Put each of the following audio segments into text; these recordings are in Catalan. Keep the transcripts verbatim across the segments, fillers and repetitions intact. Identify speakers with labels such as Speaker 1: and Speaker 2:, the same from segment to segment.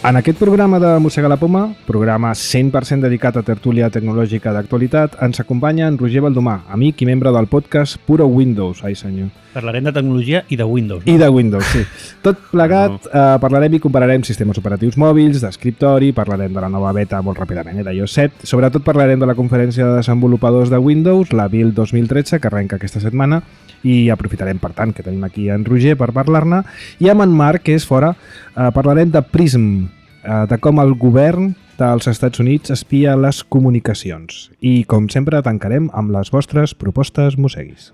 Speaker 1: En aquest programa de Mossega la Poma, programa cent per cent dedicat a tertúlia tecnològica d'actualitat, ens acompanya en Roger Baldomà, amic i membre del podcast Puro Windows. Ai, senyor.
Speaker 2: Parlarem de tecnologia i de Windows. No?
Speaker 1: I de Windows, sí. Tot plegat, no. eh, parlarem i compararem sistemes operatius mòbils, d'escriptori, parlarem de la nova beta molt ràpidament, eh, d'iOS set. Sobretot parlarem de la conferència de desenvolupadors de Windows, la Build dos mil tretze, que arrenca aquesta setmana, i aprofitarem, per tant, que tenim aquí en Roger per parlar-ne. I amb en Marc, que és fora, eh, parlarem de Prism, eh, de com el govern dels Estats Units espia les comunicacions. I, com sempre, tancarem amb les vostres propostes mosseguis.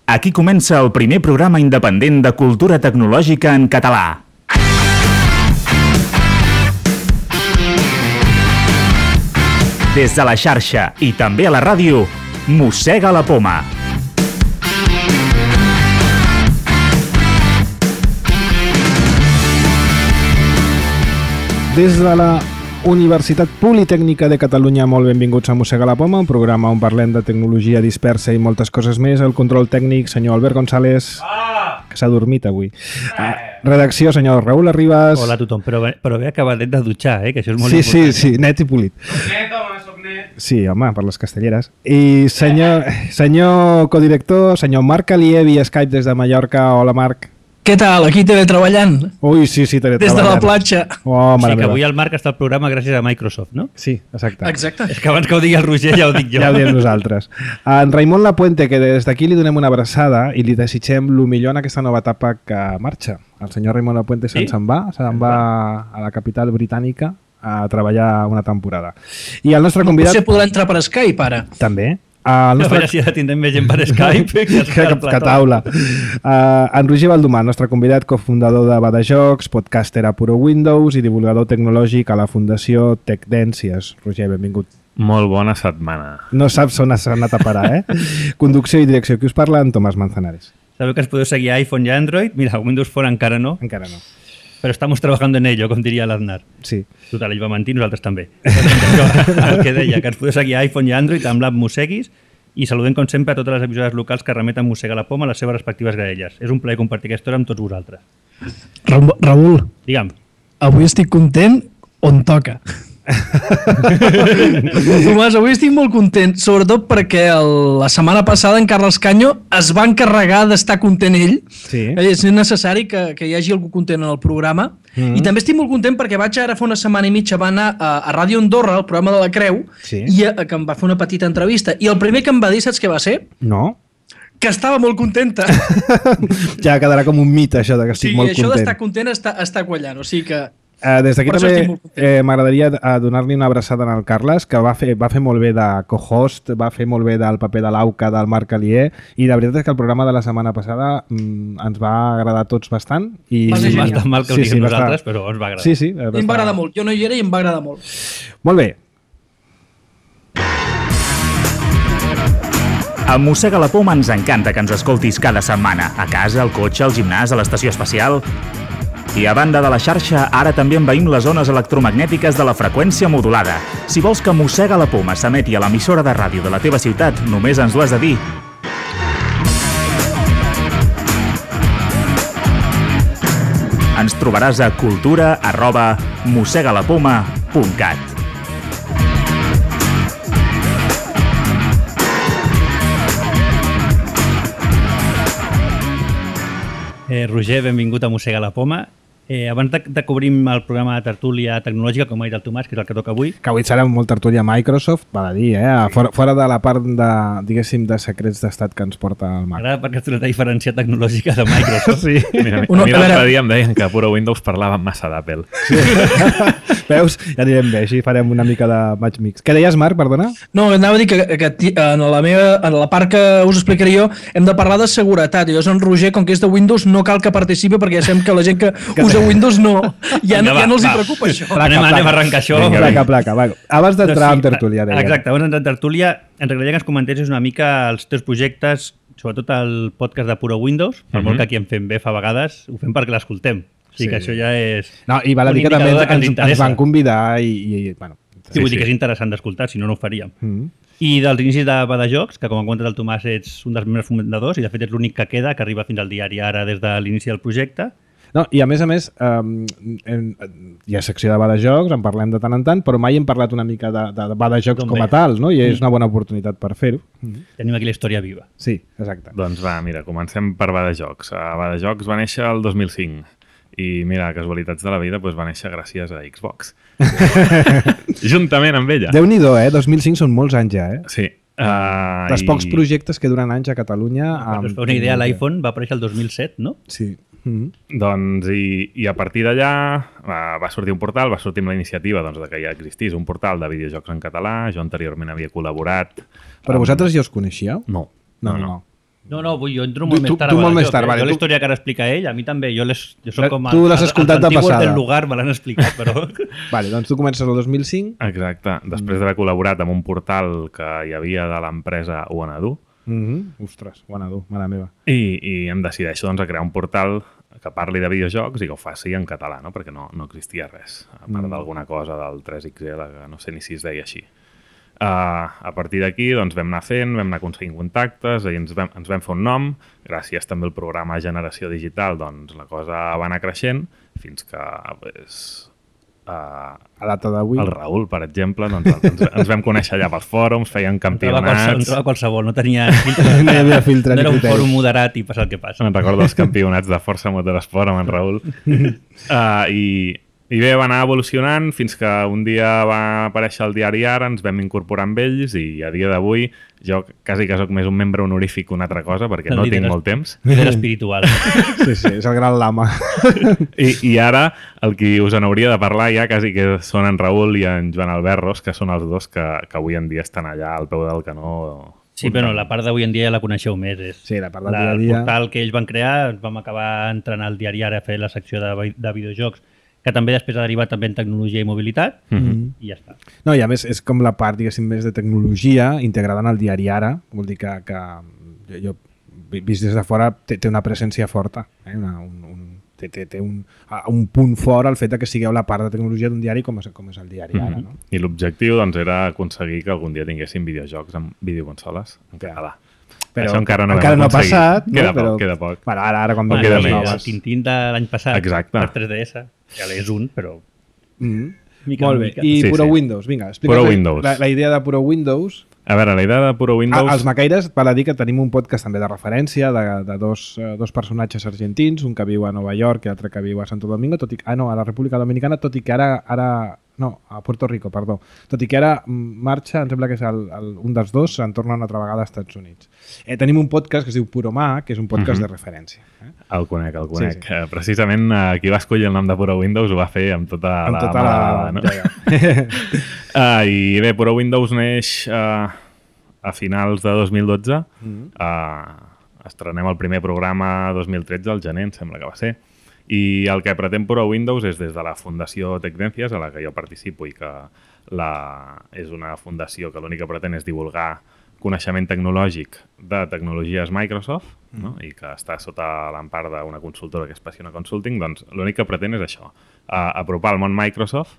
Speaker 3: Aquí comença el primer programa independent de cultura tecnològica en català. Des de la xarxa i també a la ràdio, Mossega la Poma.
Speaker 1: Des de la Universitat Politècnica de Catalunya, molt benvinguts a Mossega la Poma, un programa on parlem de tecnologia dispersa i moltes coses més. El control tècnic, senyor Albert González, ah! que s'ha dormit avui. Ah, redacció, senyor Raül Arribas.
Speaker 2: Hola a tothom, però, però bé acabadet de dutxar, eh? Que això és molt
Speaker 1: sí,
Speaker 2: important.
Speaker 1: Sí, sí, net i polit.
Speaker 4: Soc net, home, soc net.
Speaker 1: Sí, home, per les castelleres. I senyor, senyor codirector, senyor Marc Alier, via Skype des de Mallorca. Hola, Marc.
Speaker 5: Què tal? Aquí teletreballant.
Speaker 1: Ui, sí, sí, teletreballant.
Speaker 5: Des de la platja.
Speaker 1: Oh,
Speaker 2: sí, que avui el Marc està al programa gràcies a Microsoft, no?
Speaker 1: Sí, exacte.
Speaker 5: Exacte.
Speaker 2: És que abans que ho digui el Roger ja ho dic jo.
Speaker 1: Ja ho diem nosaltres. En Raimon Lapuente, que des d'aquí li donem una abraçada i li desitgem el millor en aquesta nova etapa que marxa. El senyor Raimon Lapuente se'n
Speaker 2: sí?
Speaker 1: se'n va, se'n va a la capital britànica a treballar una temporada. I el nostre convidat...
Speaker 5: Potser podrà entrar per Skype, ara.
Speaker 1: També. El nostre...
Speaker 2: A veure si ara tindrem més gent per Skype que,
Speaker 1: que, que taula. Uh, en Roger Baldomà, nostre convidat, cofundador de Badajocs, podcaster a Puro Windows i divulgador tecnològic a la Fundació Tecdències. Roger, benvingut.
Speaker 4: Molt bona setmana.
Speaker 1: No saps on has anat a parar, eh? Conducció i direcció. Qui us parla? En Tomàs Manzanares.
Speaker 2: Sabeu que ens podeu seguir a iPhone i Android? Mira, Windows Phone encara no.
Speaker 1: Encara no.
Speaker 2: Però estamos trabajando en ello, com diria l'Aznar.
Speaker 1: Sí.
Speaker 2: Total, ell va mentir, nosaltres també. El que deia, que ens podeu seguir a iPhone i Android amb l'app Mosseguis i saludem, com sempre, a totes les emissores locals que remeten Mossega la Poma a les seves respectives graelles. És un plaer compartir aquesta hora amb tots vosaltres.
Speaker 5: Raül,
Speaker 2: Digue'm.
Speaker 5: Avui estic content on toca. Tomàs, avui estic molt content, sobretot perquè el, la setmana passada en Carles Canyo es va encarregar d'estar content ell.
Speaker 1: Sí.
Speaker 5: És necessari que, que hi hagi algú content en el programa. Mm-hmm. I també estic molt content perquè vaig ara fa una setmana i mitja va anar a, a Ràdio Andorra, al programa de la Creu,
Speaker 1: sí.
Speaker 5: i a, que em va fer una petita entrevista. I el primer que em va dir, saps què va ser?
Speaker 1: No.
Speaker 5: Que estava molt contenta.
Speaker 1: Ja quedarà com un mite, això de que estic
Speaker 5: sí,
Speaker 1: molt
Speaker 5: content. Sí, això d'estar content està, està quallant, o sigui que...
Speaker 1: Uh, des d'aquí també eh, m'agradaria uh, donar-li una abraçada al Carles, que va fer, va fer molt bé de co-host, va fer molt bé del paper de l'Auca, del Marc Alier, i la veritat és que el programa de la setmana passada mm, ens va agradar a tots bastant. I...
Speaker 2: Va ser bastant mal que ho
Speaker 1: sí,
Speaker 2: diguem
Speaker 1: sí,
Speaker 2: nosaltres, però ens va agradar.
Speaker 1: Sí, sí.
Speaker 5: Bastant... Em va agradar molt, jo no hi era i em va agradar molt.
Speaker 1: Molt bé.
Speaker 3: A Mossega la Poma ens encanta que ens escoltis cada setmana, a casa, al cotxe, al gimnàs, a l'estació espacial... I a banda de la xarxa, ara també envaïm les zones electromagnètiques de la freqüència modulada. Si vols que Mossega la Poma s'emeti a l'emissora de ràdio de la teva ciutat, només ens ho has de dir. Ens trobaràs a cultura arroba mossegalapoma punt cat.
Speaker 2: Eh, Roger, benvingut a Mossega la Poma. Eh, abans de, de cobrir el programa de tertúlia tecnològica, com ha dit el Tomàs, que és el que toca avui...
Speaker 1: Que avui serà molt tertúlia Microsoft, val a dir, eh? Fora, fora de la part de, diguéssim, de secrets d'estat que ens porta el Mac.
Speaker 2: M'agrada perquè és una diferència tecnològica de Microsoft.
Speaker 1: Sí.
Speaker 4: Mira, Uno, a mi l'altre dia em deien que a Puro Windows parlava massa d'Apple.
Speaker 1: Sí. Veus? Ja anirem bé, així farem una mica de match mix. Què deies, Marc, perdona?
Speaker 5: No, anava a dir que, que en, la meva, en la part que us explicaré jo hem de parlar de seguretat. I llavors en Roger, com que és de Windows, no cal que participi perquè ja sabem que la gent que, que usa Windows no, ja, no,
Speaker 2: va,
Speaker 5: ja no els
Speaker 2: va.
Speaker 5: hi preocupa això.
Speaker 1: Placa,
Speaker 2: anem,
Speaker 1: placa.
Speaker 2: anem a arrencar això.
Speaker 1: Vinga, placa, placa. Va. Abans d'entrar
Speaker 2: sí,
Speaker 1: en tertúlia, deia.
Speaker 2: Exacte, abans d'entrar en tertúlia, ens agradaria que ens comentessis una mica els teus projectes, sobretot el podcast de Puro Windows, per uh-huh. molt que aquí en fem bé fa vegades, ho fem perquè l'escoltem. O sigui sí. que això ja és...
Speaker 1: No, i val a dir que també ens, ens van convidar i, i bueno,
Speaker 2: Sí, vull dir que és interessant d'escoltar, si no, no ho faríem.
Speaker 1: Mm.
Speaker 2: I dels inicis de Badajocs, que com ha comentat el Tomàs ets un dels membres fundadors i de fet ets l'únic que queda, que arriba fins al diari ara des de l'inici del projecte.
Speaker 1: No, i a més a més, eh, hi ha secció de Badajocs, en parlem de tant en tant, però mai hem parlat una mica de, de Badajocs com a tal, no? I és una bona oportunitat per fer-ho.
Speaker 2: Tenim aquí la història viva.
Speaker 1: Sí, exacte.
Speaker 4: Doncs va, mira, comencem per Badajocs. Uh, Badajocs va néixer el dos mil cinc i mira, casualitats de la vida, doncs va néixer gràcies a Xbox. Juntament amb ella.
Speaker 1: Déu-n'hi-do, eh? dos mil cinc són molts anys ja, eh?
Speaker 4: Sí. Uh,
Speaker 1: Dels
Speaker 4: i...
Speaker 1: pocs projectes que duren anys a Catalunya...
Speaker 2: Per us feu una idea, l'iPhone va aparèixer el dos mil set, no?
Speaker 1: Sí. Mm-hmm.
Speaker 4: Doncs, i, i a partir d'allà uh, va sortir un portal, va sortir amb la iniciativa doncs, de que ja existís un portal de videojocs en català. Jo anteriorment havia col·laborat.
Speaker 1: Però
Speaker 4: amb...
Speaker 1: vosaltres ja us coneixíeu?
Speaker 4: No.
Speaker 1: No, no.
Speaker 4: no.
Speaker 1: no.
Speaker 2: No, no, vull, jo entro molt
Speaker 1: Tu-
Speaker 2: més
Speaker 1: tu-
Speaker 2: tard.
Speaker 1: tu
Speaker 2: a
Speaker 1: molt
Speaker 2: Badajocs,
Speaker 1: més tard,
Speaker 2: eh?
Speaker 1: vale,
Speaker 2: Jo
Speaker 1: tu-
Speaker 2: la història que ara explica ell, a mi també. Jo, les, jo soc com...
Speaker 1: Tu l'has escoltat de
Speaker 2: els antiguos
Speaker 1: passada.
Speaker 2: del lugar me l'han explicat, però...
Speaker 1: Vale, doncs tu comences el dos mil cinc.
Speaker 4: Exacte. Després d'haver col·laborat amb un portal que hi havia de l'empresa Uanadu,
Speaker 1: Mm-hmm. Ostres, bona dur, mare meva.
Speaker 4: i, i em decideixo doncs, a crear un portal que parli de videojocs i que ho faci en català, no? Perquè no, no existia res, a part
Speaker 1: Mm.
Speaker 4: d'alguna cosa del tres X L, que no sé ni si es deia així. Uh, a partir d'aquí doncs, vam anar fent, vam anar aconseguint contactes i ens vam, ens vam fer un nom. Gràcies també al programa Generació Digital, doncs la cosa va anar creixent fins que pues, uh,
Speaker 1: A data d'avui...
Speaker 4: el Raül, per exemple, doncs, ens, ens vam conèixer allà pels fòrums, feien
Speaker 2: Entrava
Speaker 4: campionats.
Speaker 2: qualsevol, entrava qualsevol, no tenia filtre.
Speaker 1: No hi havia filtre
Speaker 2: No
Speaker 1: ni
Speaker 2: era un
Speaker 1: criteri.
Speaker 2: fòrum moderat i passa el que passa.
Speaker 4: Me'n recordo els campionats de Força Motorsport amb en Raül. uh, i, I bé, va anar evolucionant fins que un dia va aparèixer el diari Ara, ens vam incorporar amb ells i a dia d'avui jo quasi que soc més un membre honorífic que una altra cosa perquè no
Speaker 2: Líder
Speaker 4: tinc
Speaker 2: es-
Speaker 4: molt temps.
Speaker 2: Líder espiritual.
Speaker 1: Sí, sí, és el gran lama.
Speaker 4: I, I ara el qui us en hauria de parlar ja quasi que són en Raül i en Joan Alberros, que són els dos que, que avui en dia estan allà al peu del canó.
Speaker 2: Sí, però no, la part d'avui en dia ja la coneixeu més. És
Speaker 1: Sí, la part del
Speaker 2: la,
Speaker 1: dia a
Speaker 2: el
Speaker 1: dia.
Speaker 2: portal que ells van crear, vam acabar entrant al diari Ara a fer la secció de, vi- de videojocs, que també després ha derivat també en tecnologia i mobilitat,
Speaker 1: Mm-hmm.
Speaker 2: i ja està.
Speaker 1: No, i a més és com la part, diguéssim, més de tecnologia integrada en el diari Ara. Vol dir que, que jo, jo vist des de fora té, té una presència forta. Eh? Una, un, un, té té, té un, un punt fort al fet de que sigueu la part de tecnologia d'un diari com és, com és el diari Ara. No?
Speaker 4: I l'objectiu doncs, era aconseguir que algun dia tinguéssim videojocs amb videoconsoles en català.
Speaker 1: Però
Speaker 4: Això encara no,
Speaker 1: encara
Speaker 4: vam
Speaker 1: no ha
Speaker 4: aconseguir.
Speaker 1: passat. No?
Speaker 4: Queda
Speaker 1: però,
Speaker 4: poc, queda poc.
Speaker 1: Bueno, ara, ara quan
Speaker 4: No
Speaker 1: van
Speaker 4: queda
Speaker 1: les
Speaker 4: més.
Speaker 2: El
Speaker 1: noves.
Speaker 2: Tintín de l'any passat,
Speaker 4: Exacte.
Speaker 2: per tres D S, ja és un, però...
Speaker 1: Mm.
Speaker 2: Mica
Speaker 1: Molt
Speaker 2: en
Speaker 1: bé.
Speaker 2: mica.
Speaker 1: I
Speaker 4: Sí,
Speaker 1: Puro
Speaker 4: sí.
Speaker 1: Windows, vinga, explica'ns
Speaker 4: Puro
Speaker 1: la-
Speaker 4: Windows.
Speaker 1: La, la idea de Puro Windows.
Speaker 4: A veure, la idea de Puro Windows...
Speaker 1: Ah, els Macaires, val a dir que tenim un podcast també de referència de, de dos, eh, dos personatges argentins, un que viu a Nova York i l'altre que viu a Santo Domingo, tot i, ah, no, a la República Dominicana, tot i que ara, ara no, a Puerto Rico, perdó, tot i que ara mm, marxa, em sembla que és el, el, un dels dos, se'n torna una altra vegada als Estats Units. Eh, tenim un podcast que es diu Puro Mac, que és un podcast
Speaker 4: Mhm.
Speaker 1: de referència. Eh?
Speaker 4: El conec, el conec.
Speaker 1: Sí,
Speaker 4: Sí, sí. Uh, precisament uh, qui va escollir el nom de Puro Windows ho va fer amb tota
Speaker 1: Amb
Speaker 4: la
Speaker 1: tota
Speaker 4: mala
Speaker 1: la...
Speaker 4: dada, no?
Speaker 1: Ja, ja.
Speaker 4: Uh, I bé, Puro Windows neix uh, a finals de dos mil dotze.
Speaker 1: Mhm.
Speaker 4: Uh, estrenem el primer programa dos mil tretze, al gener, em sembla que va ser. I el que pretén Puro Windows és des de la Fundació Tecdencias, a la que jo participo i que la... és una fundació que l'únic que pretén és divulgar coneixement tecnològic de tecnologies Microsoft, no? I que està sota l'empart d'una consultora que és Passiona Consulting, doncs l'únic que pretén és això, uh, apropar el món Microsoft,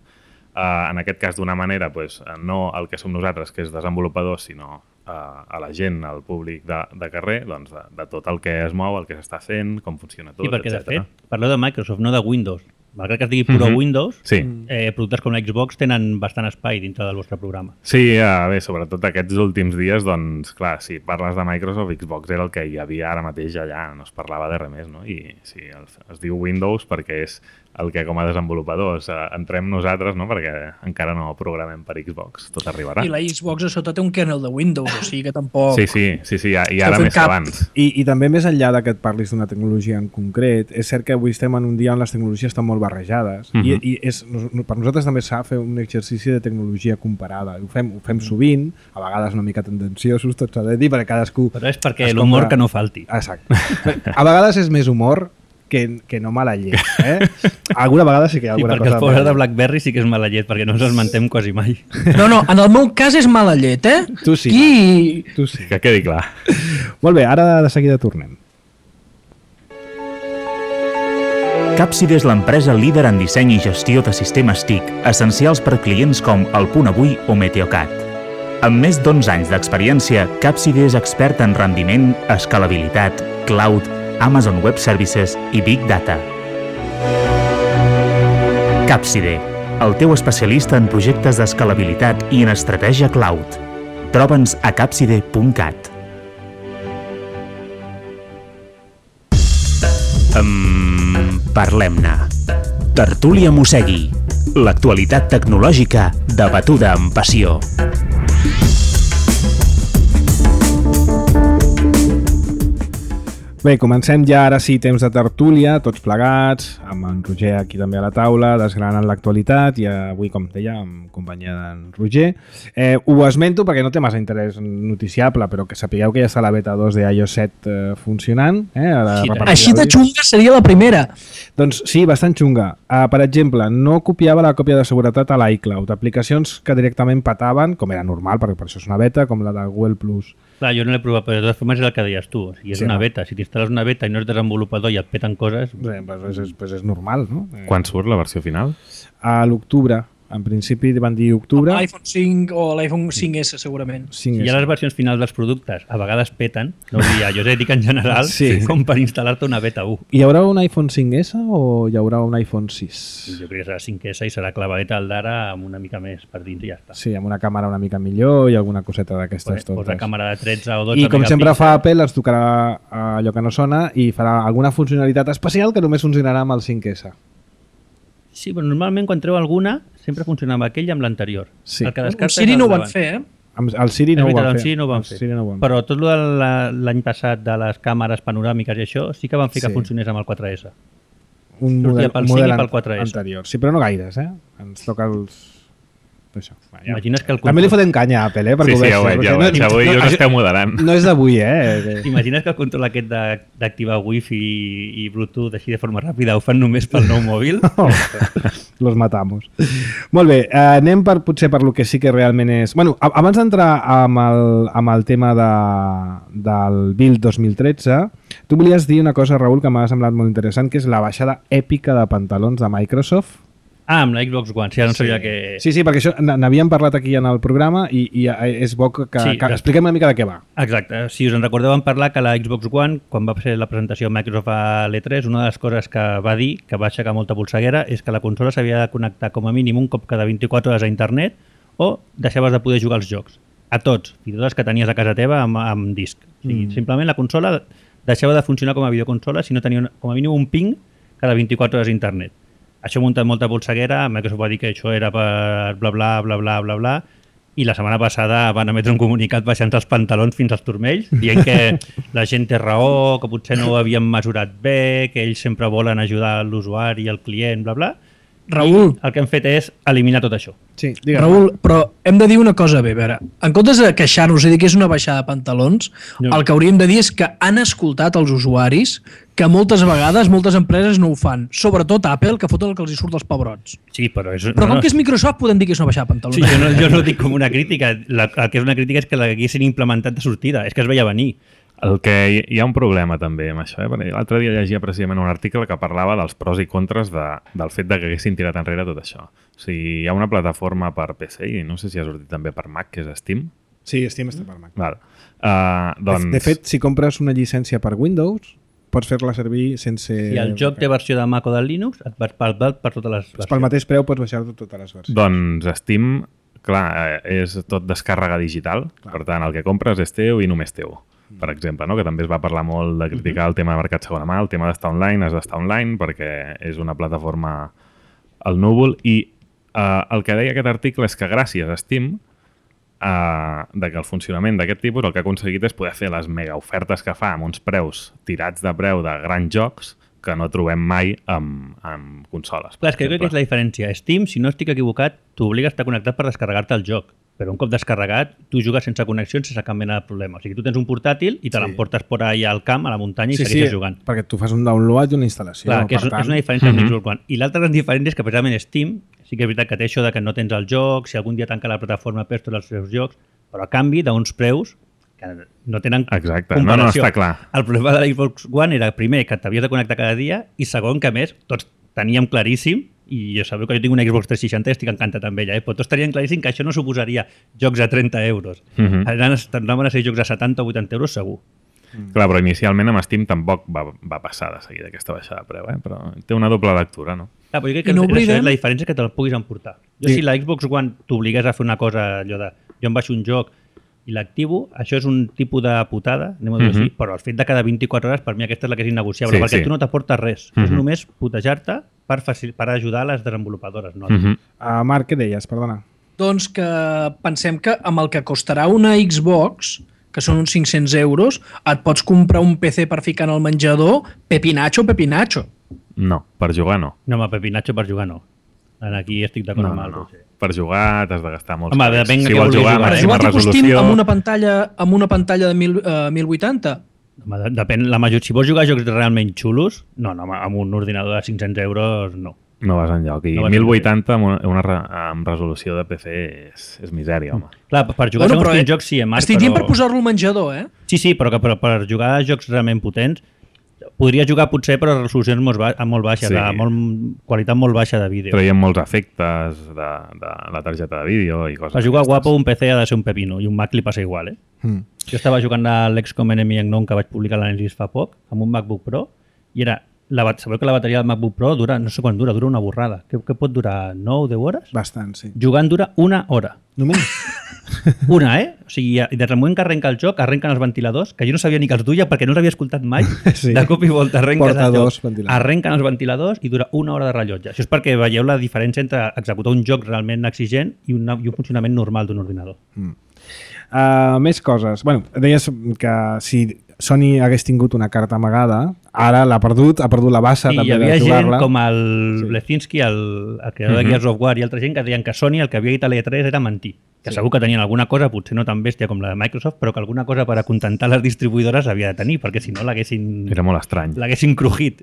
Speaker 4: uh, en aquest cas d'una manera, pues, no el que som nosaltres, que és desenvolupadors, sinó uh, a la gent, al públic de, de carrer, doncs de, de tot el que es mou, el que s'està fent, com funciona tot,
Speaker 2: Sí, perquè de
Speaker 4: etcètera.
Speaker 2: fet, parleu de Microsoft, no de Windows. Malgrat que es digui Puro
Speaker 4: Mhm.
Speaker 2: Windows,
Speaker 4: Sí.
Speaker 2: eh, productes com la Xbox tenen bastant espai dintre del vostre programa.
Speaker 4: Sí, uh, bé, sobretot aquests últims dies, doncs, clar, si parles de Microsoft, Xbox era el que hi havia ara mateix allà, no es parlava de res més, no? I sí, el, es diu Windows perquè és el que com a desenvolupadors uh, entrem nosaltres, no? Perquè encara no programem per Xbox, tot arribarà.
Speaker 5: I la Xbox a sota té un kernel de Windows, o sigui que tampoc...
Speaker 4: Sí, sí, sí, sí, i ara
Speaker 5: fent
Speaker 4: més
Speaker 5: cap.
Speaker 4: abans.
Speaker 1: I, I també més enllà de que et parlis d'una tecnologia en concret, és cert que avui estem en un dia on les tecnologies estan molt barrejades.
Speaker 4: Mhm.
Speaker 1: I, i és, no- per nosaltres també s'ha de fer un exercici de tecnologia comparada. Ho fem, ho fem sovint, a vegades una mica tendenciosos, tot s'ha de dir, perquè cadascú...
Speaker 2: Però és perquè
Speaker 1: es
Speaker 2: l'humor
Speaker 1: compra-
Speaker 2: que no falti.
Speaker 1: Exacte. A vegades és més humor que, que no mala llet. Eh? Alguna vegada sí que hi ha
Speaker 2: I
Speaker 1: alguna
Speaker 2: perquè els
Speaker 1: cosa...
Speaker 2: pobres de BlackBerry sí que és mala llet, perquè no ens esmentem quasi mai.
Speaker 5: No, no, en el meu cas és mala llet, eh?
Speaker 1: Tu sí.
Speaker 5: I...
Speaker 1: Tu sí.
Speaker 4: Que quedi clar.
Speaker 1: Molt bé, ara de seguida tornem.
Speaker 3: Capside és l'empresa líder en disseny i gestió de sistemes T I C, essencials per clients com El Punt Avui o Meteocat. Amb més d'onze anys d'experiència, Capside és expert en rendiment, escalabilitat, cloud, Amazon Web Services i Big Data. Capside, el teu especialista en projectes d'escalabilitat i en estratègia cloud. Troba'ns a capside punt cat. Um, Parlem-ne. Tertúlia Mossegui. L'actualitat tecnològica debatuda amb passió.
Speaker 1: Bé, comencem ja ara sí temps de tertúlia, tots plegats, amb en Roger aquí també a la taula, desgranant l'actualitat i avui, com deia, en companyia d'en Roger. Eh, ho esmento perquè no té massa interès noticiable, però que sapigueu que ja està la beta dos de i O S set eh, funcionant. Eh, a la
Speaker 5: Així de xunga seria la primera.
Speaker 1: Doncs sí, bastant xunga. Uh, per exemple, no copiava la còpia de seguretat a l'iCloud. Aplicacions que directament petaven, com era normal, perquè per això és una beta, com la de Google Plus.
Speaker 2: Clar, jo no l'he provat, però de totes formes és el que deies tu. O sigui, és
Speaker 1: Sí,
Speaker 2: una
Speaker 1: no?
Speaker 2: beta. Si t'instal·les una beta i no ets desenvolupador i et peten coses...
Speaker 1: Bé, pues és, pues és normal, no? Eh,
Speaker 4: Quan surt la versió final?
Speaker 1: A l'octubre. En principi van dir octubre.
Speaker 5: L'iPhone cinc o l'iPhone cinc essa, segurament.
Speaker 1: cinc
Speaker 2: Si hi ha les versions finals dels productes, a vegades peten, no vull dir a jo us dic en general,
Speaker 1: Sí.
Speaker 2: com per instal·lar-te una beta u.
Speaker 1: Hi haurà un iPhone cinc essa o hi haurà un iPhone sis?
Speaker 2: Jo crec que serà cinc essa i serà clavadeta al d'ara amb una mica més per dins i ja està.
Speaker 1: Sí, amb una càmera una mica millor i alguna coseta d'aquestes
Speaker 2: Posa
Speaker 1: totes.
Speaker 2: càmera de tretze o dotze
Speaker 1: I com sempre
Speaker 2: megapíxels.
Speaker 1: fa Apple, ens tocarà allò que no sona i farà alguna funcionalitat especial que només funcionarà amb el cinc essa.
Speaker 2: Sí, però normalment quan treu alguna sempre funciona amb aquell i amb l'anterior.
Speaker 1: Sí.
Speaker 2: El que
Speaker 5: Amb
Speaker 2: descarta
Speaker 5: Siri
Speaker 2: és el
Speaker 5: no ho van
Speaker 2: davant.
Speaker 5: fer, eh?
Speaker 1: Amb el Siri
Speaker 2: És
Speaker 1: no ho
Speaker 2: veritat,
Speaker 1: van
Speaker 2: amb
Speaker 1: fer.
Speaker 2: Siri no ho van
Speaker 1: Amb
Speaker 2: fer.
Speaker 1: Siri no ho van fer.
Speaker 2: Però tot lo de la- l'any passat de les càmeres panoràmiques i això sí que van fer
Speaker 1: Sí.
Speaker 2: que funcionés amb el quatre essa.
Speaker 1: un
Speaker 2: sortia
Speaker 1: model,
Speaker 2: pel
Speaker 1: un
Speaker 2: cinc i
Speaker 1: model
Speaker 2: pel
Speaker 1: an-
Speaker 2: quatre essa.
Speaker 1: anterior. Sí, però no gaires, eh? Ens toca els... Això. Va, ja.
Speaker 2: Imagines que el
Speaker 1: També li
Speaker 2: control...
Speaker 1: fotem canya a Apple, eh? Perquè
Speaker 4: Sí,
Speaker 1: ho
Speaker 4: sí,
Speaker 1: veig,
Speaker 4: ja ho veig,
Speaker 1: perquè
Speaker 4: ja ho
Speaker 1: no-
Speaker 4: veig. Avui
Speaker 1: no,
Speaker 4: us
Speaker 1: això
Speaker 4: esteu moderant.
Speaker 1: No és d'avui, eh?
Speaker 2: T'imagines que el control aquest de- d'activar Wi-Fi i, i Bluetooth així de forma ràpida ho fan només pel nou mòbil?
Speaker 1: Los matamos. Molt bé, eh, anem per, potser per lo que sí que realment és... Bueno, a- abans d'entrar amb, el, amb el tema de, del Build dos mil tretze, tu volies dir una cosa, Raül, que m'ha semblat molt interessant, que és la baixada èpica de pantalons de Microsoft.
Speaker 2: Ah, amb la Xbox One, sí, ara no sabia que...
Speaker 1: Sí, sí, perquè això n- n'havíem parlat aquí en el programa i, i és bo que,
Speaker 2: Sí,
Speaker 1: que
Speaker 2: de-
Speaker 1: expliquem una mica de què va.
Speaker 2: Exacte, si us en recordeu vam parlar que la Xbox One, quan va ser la presentació de Microsoft a l'E tres, una de les coses que va dir, que va aixecar molta polseguera, és que la consola s'havia de connectar com a mínim un cop cada vint-i-quatre hores a internet o deixaves de poder jugar als jocs. A tots, fins i tot els que tenies a casa teva amb, amb disc. O sigui, mm. Simplement la consola deixava de funcionar com a videoconsola si no tenia una, com a mínim un ping cada vint-i-quatre hores a internet. Això ha muntat molta polseguera, Microsoft va dir que això era per bla bla bla bla bla bla i la setmana passada van emetre un comunicat baixant els pantalons fins als turmells, dient que la gent té raó, que potser no ho havien mesurat bé, que ells sempre volen ajudar l'usuari, el client, bla bla.
Speaker 5: Raül,
Speaker 2: El que han fet és eliminar tot això.
Speaker 1: Sí, digue'm.
Speaker 5: Raül, però hem de dir una cosa bé, a veure, en comptes de queixar-nos i dir que és una baixada de pantalons,
Speaker 2: No.
Speaker 5: no. el que hauríem de dir és que han escoltat els usuaris que moltes vegades, moltes empreses no ho fan, sobretot Apple, que fot el que els hi surt dels pebrots.
Speaker 2: Sí, però és...
Speaker 5: Però
Speaker 2: no,
Speaker 5: com
Speaker 2: no,
Speaker 5: que és Microsoft podem dir que és una baixada de pantalons.
Speaker 2: Sí, jo no, jo no ho dic com una crítica. La, el que és una crítica és que l'haguessin implementat de sortida. És que es veia venir.
Speaker 4: El que hi, hi ha un problema també amb això, eh? Perquè l'altre dia llegia precisament un article que parlava dels pros i contres de, del fet de que haguessin tirat enrere tot això. O sigui, hi ha una plataforma per P C i no sé si ha sortit també per Mac, que és Steam.
Speaker 1: Sí, Steam està per Mac.
Speaker 4: Val. Uh, doncs...
Speaker 1: De, de fet, si compres una llicència per Windows, pots fer-la servir sense...
Speaker 2: Si el joc té versió de Mac o del Linux, et vas pel, per totes les versions.
Speaker 1: Pel mateix preu pots baixar totes les versions.
Speaker 4: Doncs Steam, clar, eh, és tot descàrrega digital, clar. Per tant, el que compres és teu i només teu. Per exemple, no? Que també es va parlar molt de criticar el tema de mercat segona mà, el tema d'estar online, has d'estar online perquè és una plataforma al núvol i eh, el que deia aquest article és que gràcies a Steam eh, de que el funcionament d'aquest tipus el que ha aconseguit és poder fer les mega ofertes que fa amb uns preus tirats de preu de grans jocs que no trobem mai amb, amb consoles.
Speaker 2: Clar, és que jo crec que és la diferència. Steam, si no estic equivocat, t'obliga a estar connectat per descarregar-te el joc. Però un cop descarregat, tu jugues sense connexió, sense cap mena de problema. O sigui, tu tens un portàtil i te
Speaker 1: Sí.
Speaker 2: l'emportes por ahí al camp, a la muntanya, i
Speaker 1: Sí,
Speaker 2: segueixes
Speaker 1: sí,
Speaker 2: jugant.
Speaker 1: perquè tu fas un download i una instal·lació.
Speaker 2: Clar, que és,
Speaker 1: per tant...
Speaker 2: és una diferència amb
Speaker 4: Mhm.
Speaker 2: Xbox One. I l'altra gran diferència és que precisament Steam, sí que és veritat que té això de que no tens el joc, si algun dia tanca la plataforma perds tots els seus jocs, però a canvi d'uns preus que no tenen
Speaker 4: Exacte.
Speaker 2: comparació.
Speaker 4: No, no, està clar.
Speaker 2: El problema de l'Xbox One era, primer, que t'havies de connectar cada dia, i segon, que a més, tots teníem claríssim, i jo sabeu que jo tinc una Xbox tres seixanta i estic encantat amb ella, eh? Però tots tenien claríssim que això no suposaria jocs a trenta euros.
Speaker 4: Uh -huh.
Speaker 2: Anaven a ser jocs a setanta o vuitanta euros segur.
Speaker 4: Mm. Clar, però inicialment amb Steam tampoc va, va passar de seguida aquesta baixada de preu, eh? Però té una doble lectura, no?
Speaker 2: Clar, però jo crec que
Speaker 5: no
Speaker 2: no
Speaker 5: oblidem...
Speaker 2: la diferència és que te'l puguis emportar. Jo
Speaker 1: Sí.
Speaker 2: si la Xbox One t'obligués a fer una cosa, allò de jo em baixo un joc i l'activo, això és un tipus de putada, anem a dir-ho
Speaker 4: Uh-huh.
Speaker 2: així, però el fet de cada vint-i-quatre hores per mi aquesta és la que és innegociable,
Speaker 4: Sí,
Speaker 2: perquè
Speaker 4: sí.
Speaker 2: tu no t'aportes res, és
Speaker 4: Uh-huh.
Speaker 2: només putejar-te per, facil... per ajudar les desenvolupadores. No?
Speaker 4: Uh -huh.
Speaker 1: Uh, Marc, què deies? Perdona.
Speaker 5: Doncs que pensem que amb el que costarà una Xbox, que són uns cinc-cents euros, et pots comprar un P C per ficar en el menjador, pepinacho, pepinacho.
Speaker 4: No, per jugar no.
Speaker 2: No, home, Pepinacho per jugar no. Aquí estic d'acord
Speaker 4: No,
Speaker 2: amb
Speaker 4: no,
Speaker 2: el
Speaker 4: no.
Speaker 2: Roger.
Speaker 4: Per jugar t'has de gastar molts
Speaker 2: Home,
Speaker 4: calés.
Speaker 2: depèn de
Speaker 4: Si
Speaker 2: què
Speaker 4: vols
Speaker 2: vulguis
Speaker 4: jugar a
Speaker 2: jugar,
Speaker 5: Per
Speaker 2: eh?
Speaker 4: màxima
Speaker 5: jugar tipus Steam
Speaker 4: resolució...
Speaker 5: amb una pantalla, amb una pantalla de mil, uh, mil vuitanta.
Speaker 2: Home, de- depèn, la major... Si vols jugar a jocs realment xulos, no, no, amb un ordinador de cinc-cents euros, no.
Speaker 4: No vas enlloc. I
Speaker 2: No vas
Speaker 4: mil vuitanta amb una, una, re- amb resolució de P C és, és misèria, home.
Speaker 2: Clar, per jugar
Speaker 5: Bueno,
Speaker 2: bueno,
Speaker 5: però,
Speaker 2: segons
Speaker 5: eh,
Speaker 2: quins jocs sí, eh, Marc,
Speaker 5: Estic dient
Speaker 2: però...
Speaker 5: per posar-lo al menjador, eh?
Speaker 2: Sí, sí, però que per, per jugar a jocs realment potents podria jugar potser però a resolucions molt, ba molt baixes,
Speaker 4: Sí.
Speaker 2: de molt, qualitat molt baixa de vídeo.
Speaker 4: Traiem molts efectes de, de la targeta de vídeo i coses
Speaker 2: Per jugar
Speaker 4: d'aquestes.
Speaker 2: guapo un P C ha de ser un pepino i un Mac li passa igual, eh?
Speaker 1: Mm.
Speaker 2: Jo estava jugant a l'X COM Enemy Unknown que vaig publicar l'anàlisi fa poc amb un MacBook Pro i era la, bat- sabeu que la bateria del MacBook Pro dura, no sé quan dura, dura una borrada. Què, què pot durar? nou o deu hores?
Speaker 1: Bastant, sí.
Speaker 2: Jugant dura una hora.
Speaker 1: Només?
Speaker 2: Una, eh? O sigui, i des del moment que arrenca el joc, arrenquen els ventiladors, que jo no sabia ni que els duia perquè no els havia escoltat mai.
Speaker 1: Sí.
Speaker 2: De cop i volta arrenques
Speaker 1: Porta
Speaker 2: el
Speaker 1: dos
Speaker 2: joc,
Speaker 1: ventiladors.
Speaker 2: arrenquen els ventiladors i dura una hora de rellotge. Això és perquè veieu la diferència entre executar un joc realment exigent i, una, i un funcionament normal d'un ordinador.
Speaker 1: Uh, més coses. Bueno, deies que si Sony hagués tingut una carta amagada, ara l'ha perdut, ha perdut la bassa
Speaker 2: Sí,
Speaker 1: també
Speaker 2: hi havia
Speaker 1: de
Speaker 2: gent
Speaker 1: jugar-la.
Speaker 2: com el
Speaker 1: Sí.
Speaker 2: Blesinski, el, el creador
Speaker 4: Mhm.
Speaker 2: de Gears of War i altra gent que deien que Sony el que havia dit a l'E tres era mentir. Que
Speaker 1: Sí.
Speaker 2: segur que tenien alguna cosa, potser no tan bèstia com la de Microsoft, però que alguna cosa per acontentar les distribuïdores havia de tenir, perquè si no l'haguessin
Speaker 4: Era molt estrany.
Speaker 2: l'haguessin crujit.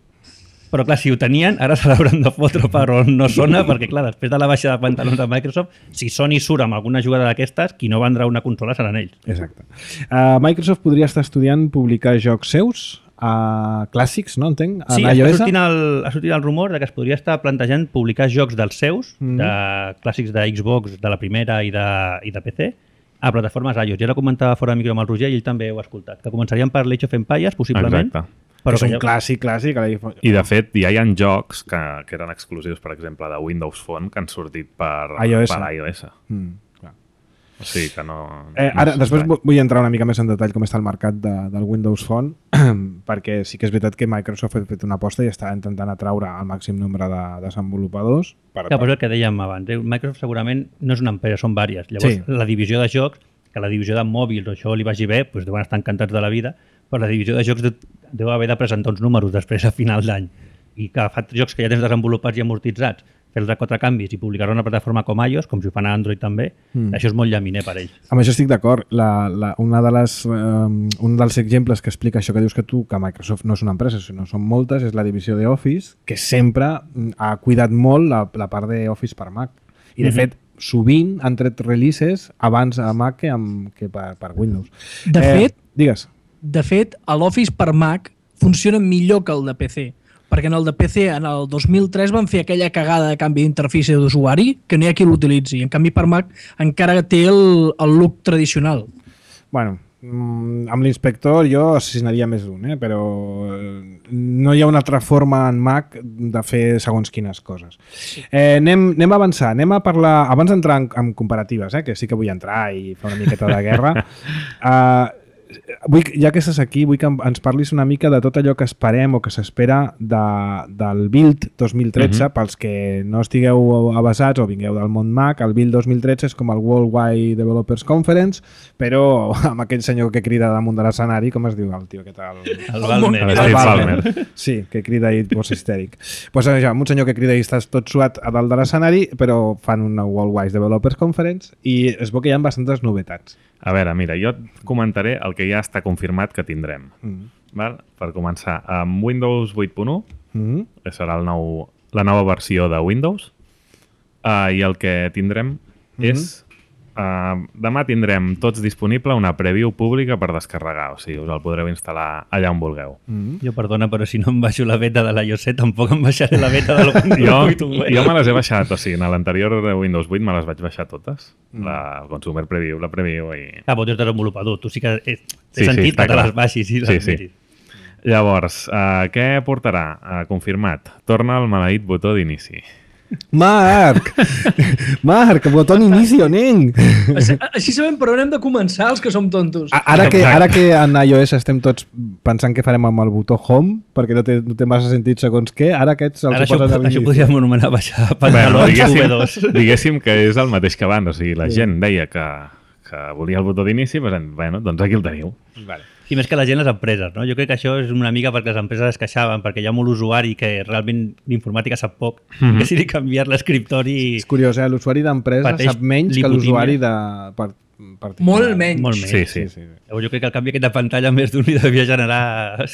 Speaker 2: Però clar, si ho tenien, ara se l'hauran de fotre per on no sona, perquè clar, després de la baixa de pantalons de Microsoft, si Sony surt amb alguna jugada d'aquestes, qui no vendrà una consola seran ells.
Speaker 1: Exacte. Uh, Microsoft podria estar estudiant publicar jocs seus, uh, clàssics, no entenc? En
Speaker 2: Sí, està
Speaker 1: iOS?
Speaker 2: sortint, el, ha sortit el rumor de que es podria estar plantejant publicar jocs dels seus,
Speaker 1: Mhm.
Speaker 2: de clàssics de Xbox, de la primera i de, i de P C, a plataformes iOS. Ja la comentava fora de micro amb el Roger i ell també ho ha escoltat. Que començarien per l'Age of Empires, possiblement.
Speaker 4: Exacte.
Speaker 1: Però és
Speaker 2: que
Speaker 1: un
Speaker 2: ja-
Speaker 1: clàssic, clàssic. a l'iPhone.
Speaker 4: I de fet ja hi ha jocs que, que eren exclusius, per exemple, de Windows Phone que han sortit per
Speaker 1: iOS.
Speaker 4: per iOS.
Speaker 1: Mm, clar.
Speaker 4: O sigui que no...
Speaker 1: Eh,
Speaker 4: no
Speaker 1: ara,
Speaker 4: és
Speaker 1: després
Speaker 4: estrany.
Speaker 1: vu- vull entrar una mica més en detall com està el mercat de, del Windows Phone, perquè sí que és veritat que Microsoft ha fet una aposta i està intentant atraure el màxim nombre de desenvolupadors. Per,
Speaker 2: Clar, però és el que dèiem abans. eh? Microsoft segurament no és una empresa, són vàries. Llavors,
Speaker 1: Sí.
Speaker 2: la divisió de jocs, que la divisió de mòbils o això li vagi bé, doncs deuen estar encantats de la vida, però la divisió de jocs de, deu haver de presentar uns números després a final d'any. I que fa jocs que ja tens desenvolupats i amortitzats, fer-los a quatre canvis i publicar-ho en una plataforma com iOS, com si ho fan a Android també,
Speaker 1: Mm.
Speaker 2: mm. això és molt llaminer per ells.
Speaker 1: Amb això estic d'acord. La, la, una de les, um, un dels exemples que explica això que dius que tu, que Microsoft no és una empresa, sinó són moltes, és la divisió d'Office, que sempre mm, ha cuidat molt la, la part d'Office per Mac. I, de
Speaker 2: Mhm.
Speaker 1: fet, sovint han tret releases abans a Mac que, amb, que per, per Windows.
Speaker 5: De fet,
Speaker 1: Digues.
Speaker 5: De fet, l'Office per Mac funciona millor que el de P C, perquè en el de P C en el dos mil tres van fer aquella cagada de canvi d'interfície d'usuari que no hi ha qui l'utilitzi. En canvi, per Mac encara té el, el look tradicional.
Speaker 1: Bueno, mm, amb l'inspector jo assassinaria més d'un, eh? Però eh, no hi ha una altra forma en Mac de fer segons quines coses. Eh, anem, anem a avançar, anem a parlar, abans d'entrar en, en comparatives, eh? Que sí que vull entrar i fer una miqueta de guerra, eh, vull, ja que estàs aquí, vull que ens parlis una mica de tot allò que esperem o que s'espera de, del Build dos mil tretze, uh-huh. pels que no estigueu avasats o vingueu del món Mac. El Build dos mil tretze és com el Worldwide Developers Conference, però amb aquell senyor que crida damunt de l'escenari, com es diu el tio? Què tal?
Speaker 2: El Balmer.
Speaker 4: El
Speaker 1: El
Speaker 4: Steve
Speaker 1: Balmer.
Speaker 4: Ballmer.
Speaker 1: Sí, que crida i posa histèric. Pues això, amb un senyor que crida i estàs tot suat a dalt de l'escenari, però fan una Worldwide Developers Conference i es veu que hi ha bastantes novetats.
Speaker 4: A veure, mira, jo et comentaré el que ja està confirmat que tindrem.
Speaker 1: Mm.
Speaker 4: Val? Per començar, amb Windows vuit punt u,
Speaker 1: Mm.
Speaker 4: que serà el nou, la nova versió de Windows, uh, i el que tindrem
Speaker 1: Mhm.
Speaker 4: és uh, demà tindrem tots disponible una preview pública per descarregar, o sigui, us el podreu instal·lar allà on vulgueu.
Speaker 2: Mm-hmm. Jo, perdona, però si no em baixo la beta de l'iOS set, tampoc em baixaré la beta del Windows vuit.
Speaker 4: Jo, jo me les he baixat, o sigui, en l'anterior de Windows vuit me les vaig baixar totes. Mm. La, el Consumer Preview, la Preview i...
Speaker 2: Ah, però tu ets desenvolupador, tu sí que té
Speaker 4: sí,
Speaker 2: sentit
Speaker 4: sí,
Speaker 2: que te
Speaker 4: clar.
Speaker 2: les baixis i les
Speaker 4: Sí, sí.
Speaker 2: miris.
Speaker 4: Llavors, uh, què portarà? Uh, confirmat. Torna el maleït botó d'inici.
Speaker 1: Marc! Marc, botó inicio, nen!
Speaker 5: Així, així sabem per on hem de començar els que som tontos.
Speaker 1: A- Ara que, ara que en iOS estem tots pensant què farem amb el botó Home, perquè no té, no té massa sentit segons què, ara aquests els
Speaker 2: Ara
Speaker 1: hi
Speaker 2: això,
Speaker 1: poses a
Speaker 2: això
Speaker 1: l'inici.
Speaker 2: podríem anomenar baixar
Speaker 4: Bueno,
Speaker 2: pantalons
Speaker 4: diguéssim,
Speaker 2: V dos.
Speaker 4: diguéssim que és el mateix que abans. O sigui, la gent deia que, que volia el botó d'inici, doncs, bueno, doncs aquí el teniu.
Speaker 1: Vale.
Speaker 2: I més que la gent les empreses, no? Jo crec que això és una mica perquè les empreses es queixaven, perquè hi ha molt usuari que realment d'informàtica sap poc, mm -hmm. decidí canviar l'escriptori...
Speaker 1: És curiós, eh? L'usuari d'empresa
Speaker 2: Pateix
Speaker 1: sap menys que
Speaker 2: lipotímia.
Speaker 1: l'usuari de... Per, particular.
Speaker 5: Molt menys.
Speaker 2: Molt menys.
Speaker 4: Sí, sí.
Speaker 1: Sí, sí.
Speaker 2: Llavors jo crec que el canvi aquest de pantalla més d'un li devia generar...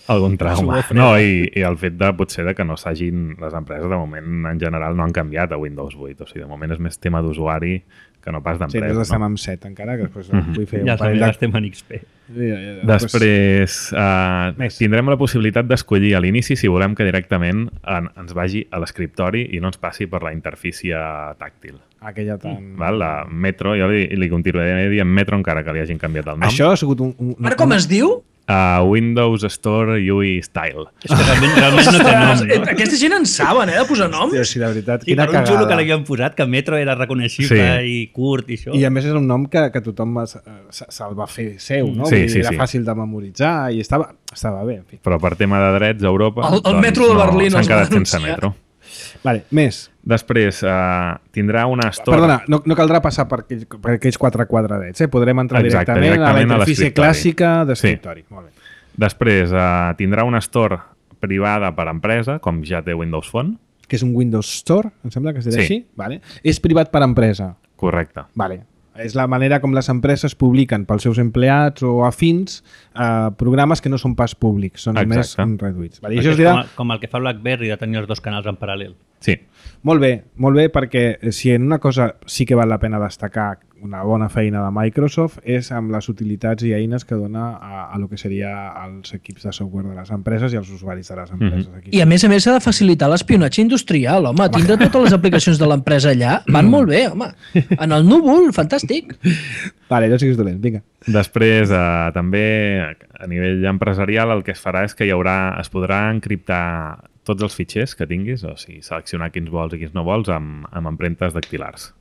Speaker 4: Algun trauma.
Speaker 2: Suor freda.
Speaker 4: No, i, i el fet de potser de que no s'hagin... Les empreses, de moment, en general, no han canviat a Windows vuit. O sigui, de moment és més tema d'usuari que no pas
Speaker 1: Sí,
Speaker 4: d'empresa.
Speaker 1: nosaltres estem
Speaker 4: no?
Speaker 1: amb set encara, que després
Speaker 4: Mhm.
Speaker 1: vull fer
Speaker 2: Ja
Speaker 1: un parell
Speaker 2: també
Speaker 1: de...
Speaker 2: estem en X P.
Speaker 1: Ja, ja, ja.
Speaker 4: Després, uh,
Speaker 1: Més.
Speaker 4: tindrem la possibilitat d'escollir a l'inici si volem que directament en, ens vagi a l'escriptori i no ens passi per la interfície tàctil.
Speaker 1: Aquella tan...
Speaker 4: Val? La Metro, jo li, li continuaré dient Metro encara que li hagin canviat el nom.
Speaker 1: Això ha sigut un... un, un
Speaker 5: Ara com es diu?
Speaker 4: Uh, Windows Store U I Style.
Speaker 2: És que realment, realment no té nom, no?
Speaker 5: Aquesta gent en saben, eh, de posar noms.
Speaker 1: Hòstia, sí, de veritat,
Speaker 2: Sí,
Speaker 1: quina
Speaker 2: per un
Speaker 1: cagada.
Speaker 2: xulo que l'havien posat, que Metro era reconeixible
Speaker 4: Sí.
Speaker 2: i curt i això.
Speaker 1: I a més és un nom que, que tothom es- se- se'l va fer seu, no?
Speaker 4: Sí,
Speaker 1: Vull dir,
Speaker 4: sí,
Speaker 1: era
Speaker 4: sí.
Speaker 1: fàcil de memoritzar i estava, estava bé, en fi.
Speaker 4: Però per tema de drets a Europa...
Speaker 5: El- el metro de
Speaker 4: no,
Speaker 5: Berlín
Speaker 4: s'han
Speaker 5: els va
Speaker 4: quedat sense
Speaker 5: denunciar.
Speaker 4: metro.
Speaker 1: Vale, més.
Speaker 4: Després, uh, tindrà una store...
Speaker 1: Perdona, no, no caldrà passar per aquells, per aquells quatre quadradets, eh? Podrem entrar
Speaker 4: Exacte,
Speaker 1: directament,
Speaker 4: directament
Speaker 1: a
Speaker 4: a
Speaker 1: la interfície
Speaker 4: l'escriptori.
Speaker 1: clàssica d'escriptori. Sí. Molt bé.
Speaker 4: Després, uh, tindrà una store privada per empresa, com ja té Windows Phone.
Speaker 1: Que és un Windows Store, em sembla que es dirà
Speaker 4: Sí.
Speaker 1: així. Vale. És privat per empresa.
Speaker 4: Correcte.
Speaker 1: Vale. És la manera com les empreses publiquen pels seus empleats o afins eh, programes que no són pas públics, són
Speaker 4: Exacte.
Speaker 1: més reduïts. Vale. I
Speaker 2: Perquè
Speaker 1: això es
Speaker 2: és
Speaker 1: dirà...
Speaker 2: com, el- com el que fa BlackBerry de tenir els dos canals en paral·lel.
Speaker 4: Sí.
Speaker 1: Molt bé, molt bé, perquè si en una cosa sí que val la pena destacar una bona feina de Microsoft és amb les utilitats i eines que dona a, a lo que seria als equips de software de les empreses i als usuaris de les empreses.
Speaker 4: Mhm.
Speaker 1: Aquí.
Speaker 5: I a més a més s'ha de facilitar l'espionatge industrial, home. Tindre totes les aplicacions de l'empresa allà van molt bé, home. En el núvol, fantàstic.
Speaker 1: Vale, jo siguis dolent, vinga.
Speaker 4: Després, eh, també, a nivell empresarial, el que es farà és que hi haurà, es podrà encriptar tots els fitxers que tinguis, o sigui, seleccionar quins vols i quins no vols amb, amb empremtes dactilars.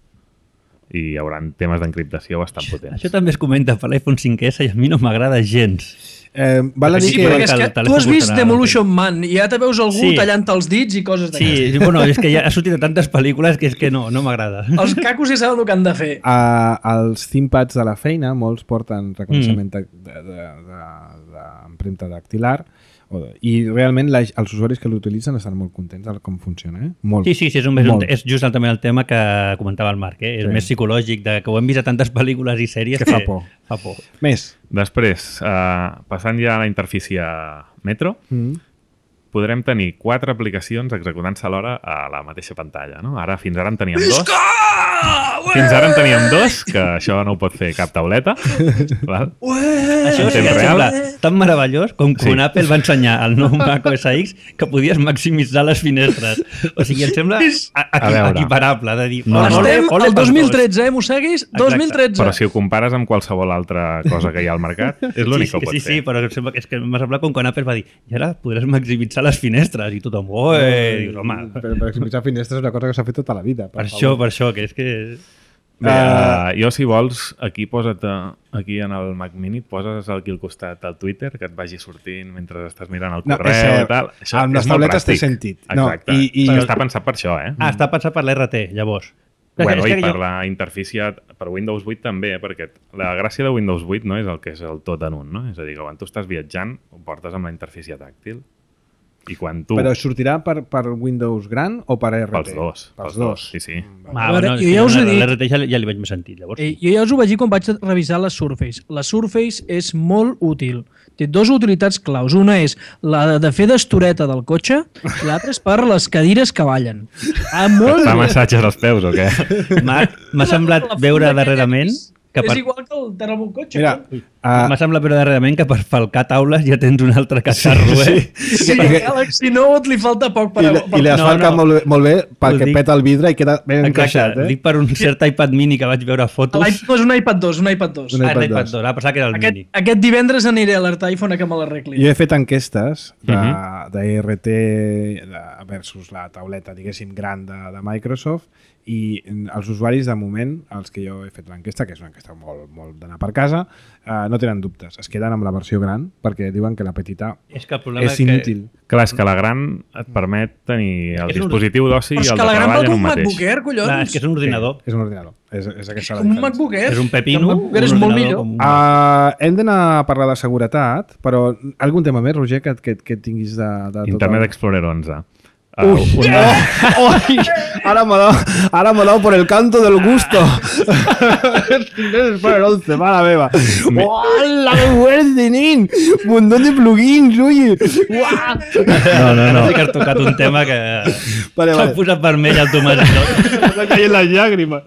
Speaker 4: I hi haurà temes d'encriptació bastant potents.
Speaker 2: Això també es comenta per l'iPhone cinc essa i a mi no m'agrada gens.
Speaker 1: Eh, val a dir
Speaker 2: Sí,
Speaker 1: que...
Speaker 2: però
Speaker 5: Perquè és
Speaker 2: que
Speaker 5: que
Speaker 2: el
Speaker 5: tu has
Speaker 2: telèfon
Speaker 5: vist
Speaker 2: costarà
Speaker 5: Demolition Man i ja te veus algú
Speaker 2: Sí.
Speaker 5: tallant els dits i coses d'aquestes.
Speaker 2: Sí, bueno, és que ja ha sortit a tantes pel·lícules que és que no, no m'agrada.
Speaker 5: Els cacos ja saben el que han de fer.
Speaker 1: A, als ThinkPads de la feina, molts porten reconeixement de- de- de- de- d'empremta dactilar o de, i realment la, els usuaris que l'utilitzen estan molt contents de com funciona. Eh? Molt.
Speaker 2: Sí, sí, sí és, un, és, un,
Speaker 1: Molt.
Speaker 2: és just el, també el tema que comentava el Marc, eh? És
Speaker 1: Sí.
Speaker 2: més psicològic, de, que ho hem vist a tantes pel·lícules i sèries
Speaker 1: Que fa por.
Speaker 2: Fa por.
Speaker 1: Més.
Speaker 4: Després, eh, passant ja a la interfície Metro,
Speaker 1: Mm.
Speaker 4: podrem tenir quatre aplicacions executant-se alhora a la mateixa pantalla. No? Ara, fins ara en teníem dos. Fins ara en teníem dos, que això no ho pot fer cap tauleta. Val?
Speaker 2: Això sí
Speaker 4: temps
Speaker 2: que em
Speaker 4: real.
Speaker 2: sembla tan meravellós com quan
Speaker 4: Sí.
Speaker 2: Apple va ensenyar al nou Mac O S X que podies maximitzar les finestres. O sigui, em sembla a, a,
Speaker 4: A veure.
Speaker 2: equiparable de dir...
Speaker 4: No,
Speaker 2: "Ole,
Speaker 4: no.
Speaker 2: ole,
Speaker 5: Estem
Speaker 2: ole
Speaker 5: al
Speaker 2: pels
Speaker 5: dos mil tretze, eh, Mosseguis? dos mil tretze.
Speaker 4: Però si ho compares amb qualsevol altra cosa que hi ha al mercat, és l'únic
Speaker 2: sí,
Speaker 4: que ho
Speaker 2: sí,
Speaker 4: pot
Speaker 2: sí,
Speaker 4: fer.
Speaker 2: sí, però em sembla que és que m'ha semblat com quan Apple va dir i ara podràs maximitzar les finestres i tothom, oi, dius, home,
Speaker 1: Però, però maximitzar finestres és una cosa que s'ha fet tota la vida.
Speaker 2: per això, per això, que és que...
Speaker 4: Bé, uh, jo, si vols, aquí posa't, uh, aquí en el Mac Mini, poses aquí al costat el Twitter, que et vagi sortint mentre estàs mirant el
Speaker 1: No,
Speaker 4: correu
Speaker 1: és cert.
Speaker 4: i tal. Això
Speaker 1: Amb
Speaker 4: és
Speaker 1: les
Speaker 4: molt
Speaker 1: tauletes té
Speaker 4: pràctic.
Speaker 1: sentit. No,
Speaker 4: Exacte.
Speaker 1: i- i-
Speaker 4: Però està pensat per això, eh?
Speaker 2: Ah, està pensat per l'R T, llavors.
Speaker 4: Bueno,
Speaker 2: És
Speaker 4: i
Speaker 2: que
Speaker 4: per
Speaker 2: jo-
Speaker 4: la interfície, per Windows vuit també, perquè la gràcia de Windows vuit no és el que és el tot en un, no? És a dir, que quan tu estàs viatjant, ho portes amb la interfície tàctil. I quan tu...
Speaker 1: Però sortirà per, per Windows gran o per R T?
Speaker 4: Pels dos.
Speaker 1: Pels dos.
Speaker 4: Sí, sí.
Speaker 2: Ah,
Speaker 5: A veure,
Speaker 2: bueno,
Speaker 5: jo ja us he dit-
Speaker 2: l'R T ja, ja li veig més sentit, llavors.
Speaker 5: Eh, jo ja us ho vaig dir quan vaig revisar la Surface. La Surface és molt útil. Té dues utilitats claus. Una és la de fer d'estoreta del cotxe i l'altra és per les cadires que ballen. Ah, molt
Speaker 4: Fa
Speaker 5: bé.
Speaker 4: massatges als peus o què?
Speaker 2: M'ha m'ha semblat
Speaker 5: La
Speaker 2: veure
Speaker 5: funda
Speaker 2: darrerament
Speaker 5: és,
Speaker 2: que
Speaker 5: és
Speaker 2: per,
Speaker 5: igual que el terra amb un cotxe.
Speaker 1: Mira,
Speaker 5: no?
Speaker 1: uh,
Speaker 2: m'ha semblat veure darrerament que per falcar taules ja tens un altre catarro, eh?
Speaker 5: Sí,
Speaker 1: perquè-
Speaker 5: Galaxy Note li falta poc per...
Speaker 1: i, le-
Speaker 5: per
Speaker 1: i li
Speaker 2: No,
Speaker 1: asfalca
Speaker 2: no.
Speaker 1: molt, bé- molt bé perquè
Speaker 2: Ho dic.
Speaker 1: peta el vidre i queda ben encaixat.
Speaker 2: Exacte,
Speaker 1: Eh?
Speaker 2: dic per un cert iPad mini que vaig veure fotos.
Speaker 5: L'iPad no és un iPad dos, un iPad dos.
Speaker 1: Un
Speaker 2: Ah,
Speaker 1: iPad
Speaker 2: l'iPad
Speaker 1: dos.
Speaker 2: dos, ah, pensava que era el
Speaker 5: Aquest,
Speaker 2: mini.
Speaker 5: aquest divendres aniré a l'Art iPhone a que me l'arregli.
Speaker 1: Jo he fet enquestes de,
Speaker 4: Mhm.
Speaker 1: uh -huh. de R T de, versus la tauleta, diguéssim, gran de, de Microsoft, i els usuaris, de moment, els que jo he fet l'enquesta, que és una enquesta molt, molt d'anar per casa, uh, no tenen dubtes. Es queden amb la versió gran perquè diuen que la petita
Speaker 2: És que el problema
Speaker 1: és
Speaker 2: és que...
Speaker 1: inútil.
Speaker 4: Clar, és que la gran et permet tenir el
Speaker 2: És un-
Speaker 4: dispositiu d'oci i
Speaker 5: Però és
Speaker 4: el
Speaker 5: que
Speaker 4: de
Speaker 5: la gran
Speaker 4: treball
Speaker 5: val
Speaker 4: en
Speaker 5: com
Speaker 4: un
Speaker 5: un
Speaker 4: mateix.
Speaker 5: MacBook Air, collons.
Speaker 2: Clar, és que és un ordinador.
Speaker 1: És un ordinador. És, és aquesta la
Speaker 5: Com un
Speaker 1: diferència.
Speaker 5: MacBook Air.
Speaker 2: És un pepino.
Speaker 5: El MacBook Air és
Speaker 2: un
Speaker 5: molt
Speaker 2: ordinador
Speaker 5: millor.
Speaker 2: com-
Speaker 1: Uh, hem d'anar a parlar de seguretat, però algun tema més, Roger, que, que, que tinguis de, de tot
Speaker 4: Internet
Speaker 1: el-
Speaker 4: Explorer onze. Uh,
Speaker 1: Ui,
Speaker 4: una...
Speaker 1: oh, oi, ara m'ha dado, ara m'ha dado por el canto del gusto. Internet once, mare meva. Hola, que fuerte, nen. Un montón de plugins, oye. Uah.
Speaker 2: No, no, no. Sí que has tocat un tema que
Speaker 1: Vale,
Speaker 2: s'ha
Speaker 1: vale.
Speaker 2: posat vermell al Tomàs i tot.
Speaker 1: M'ha caído las lágrimas.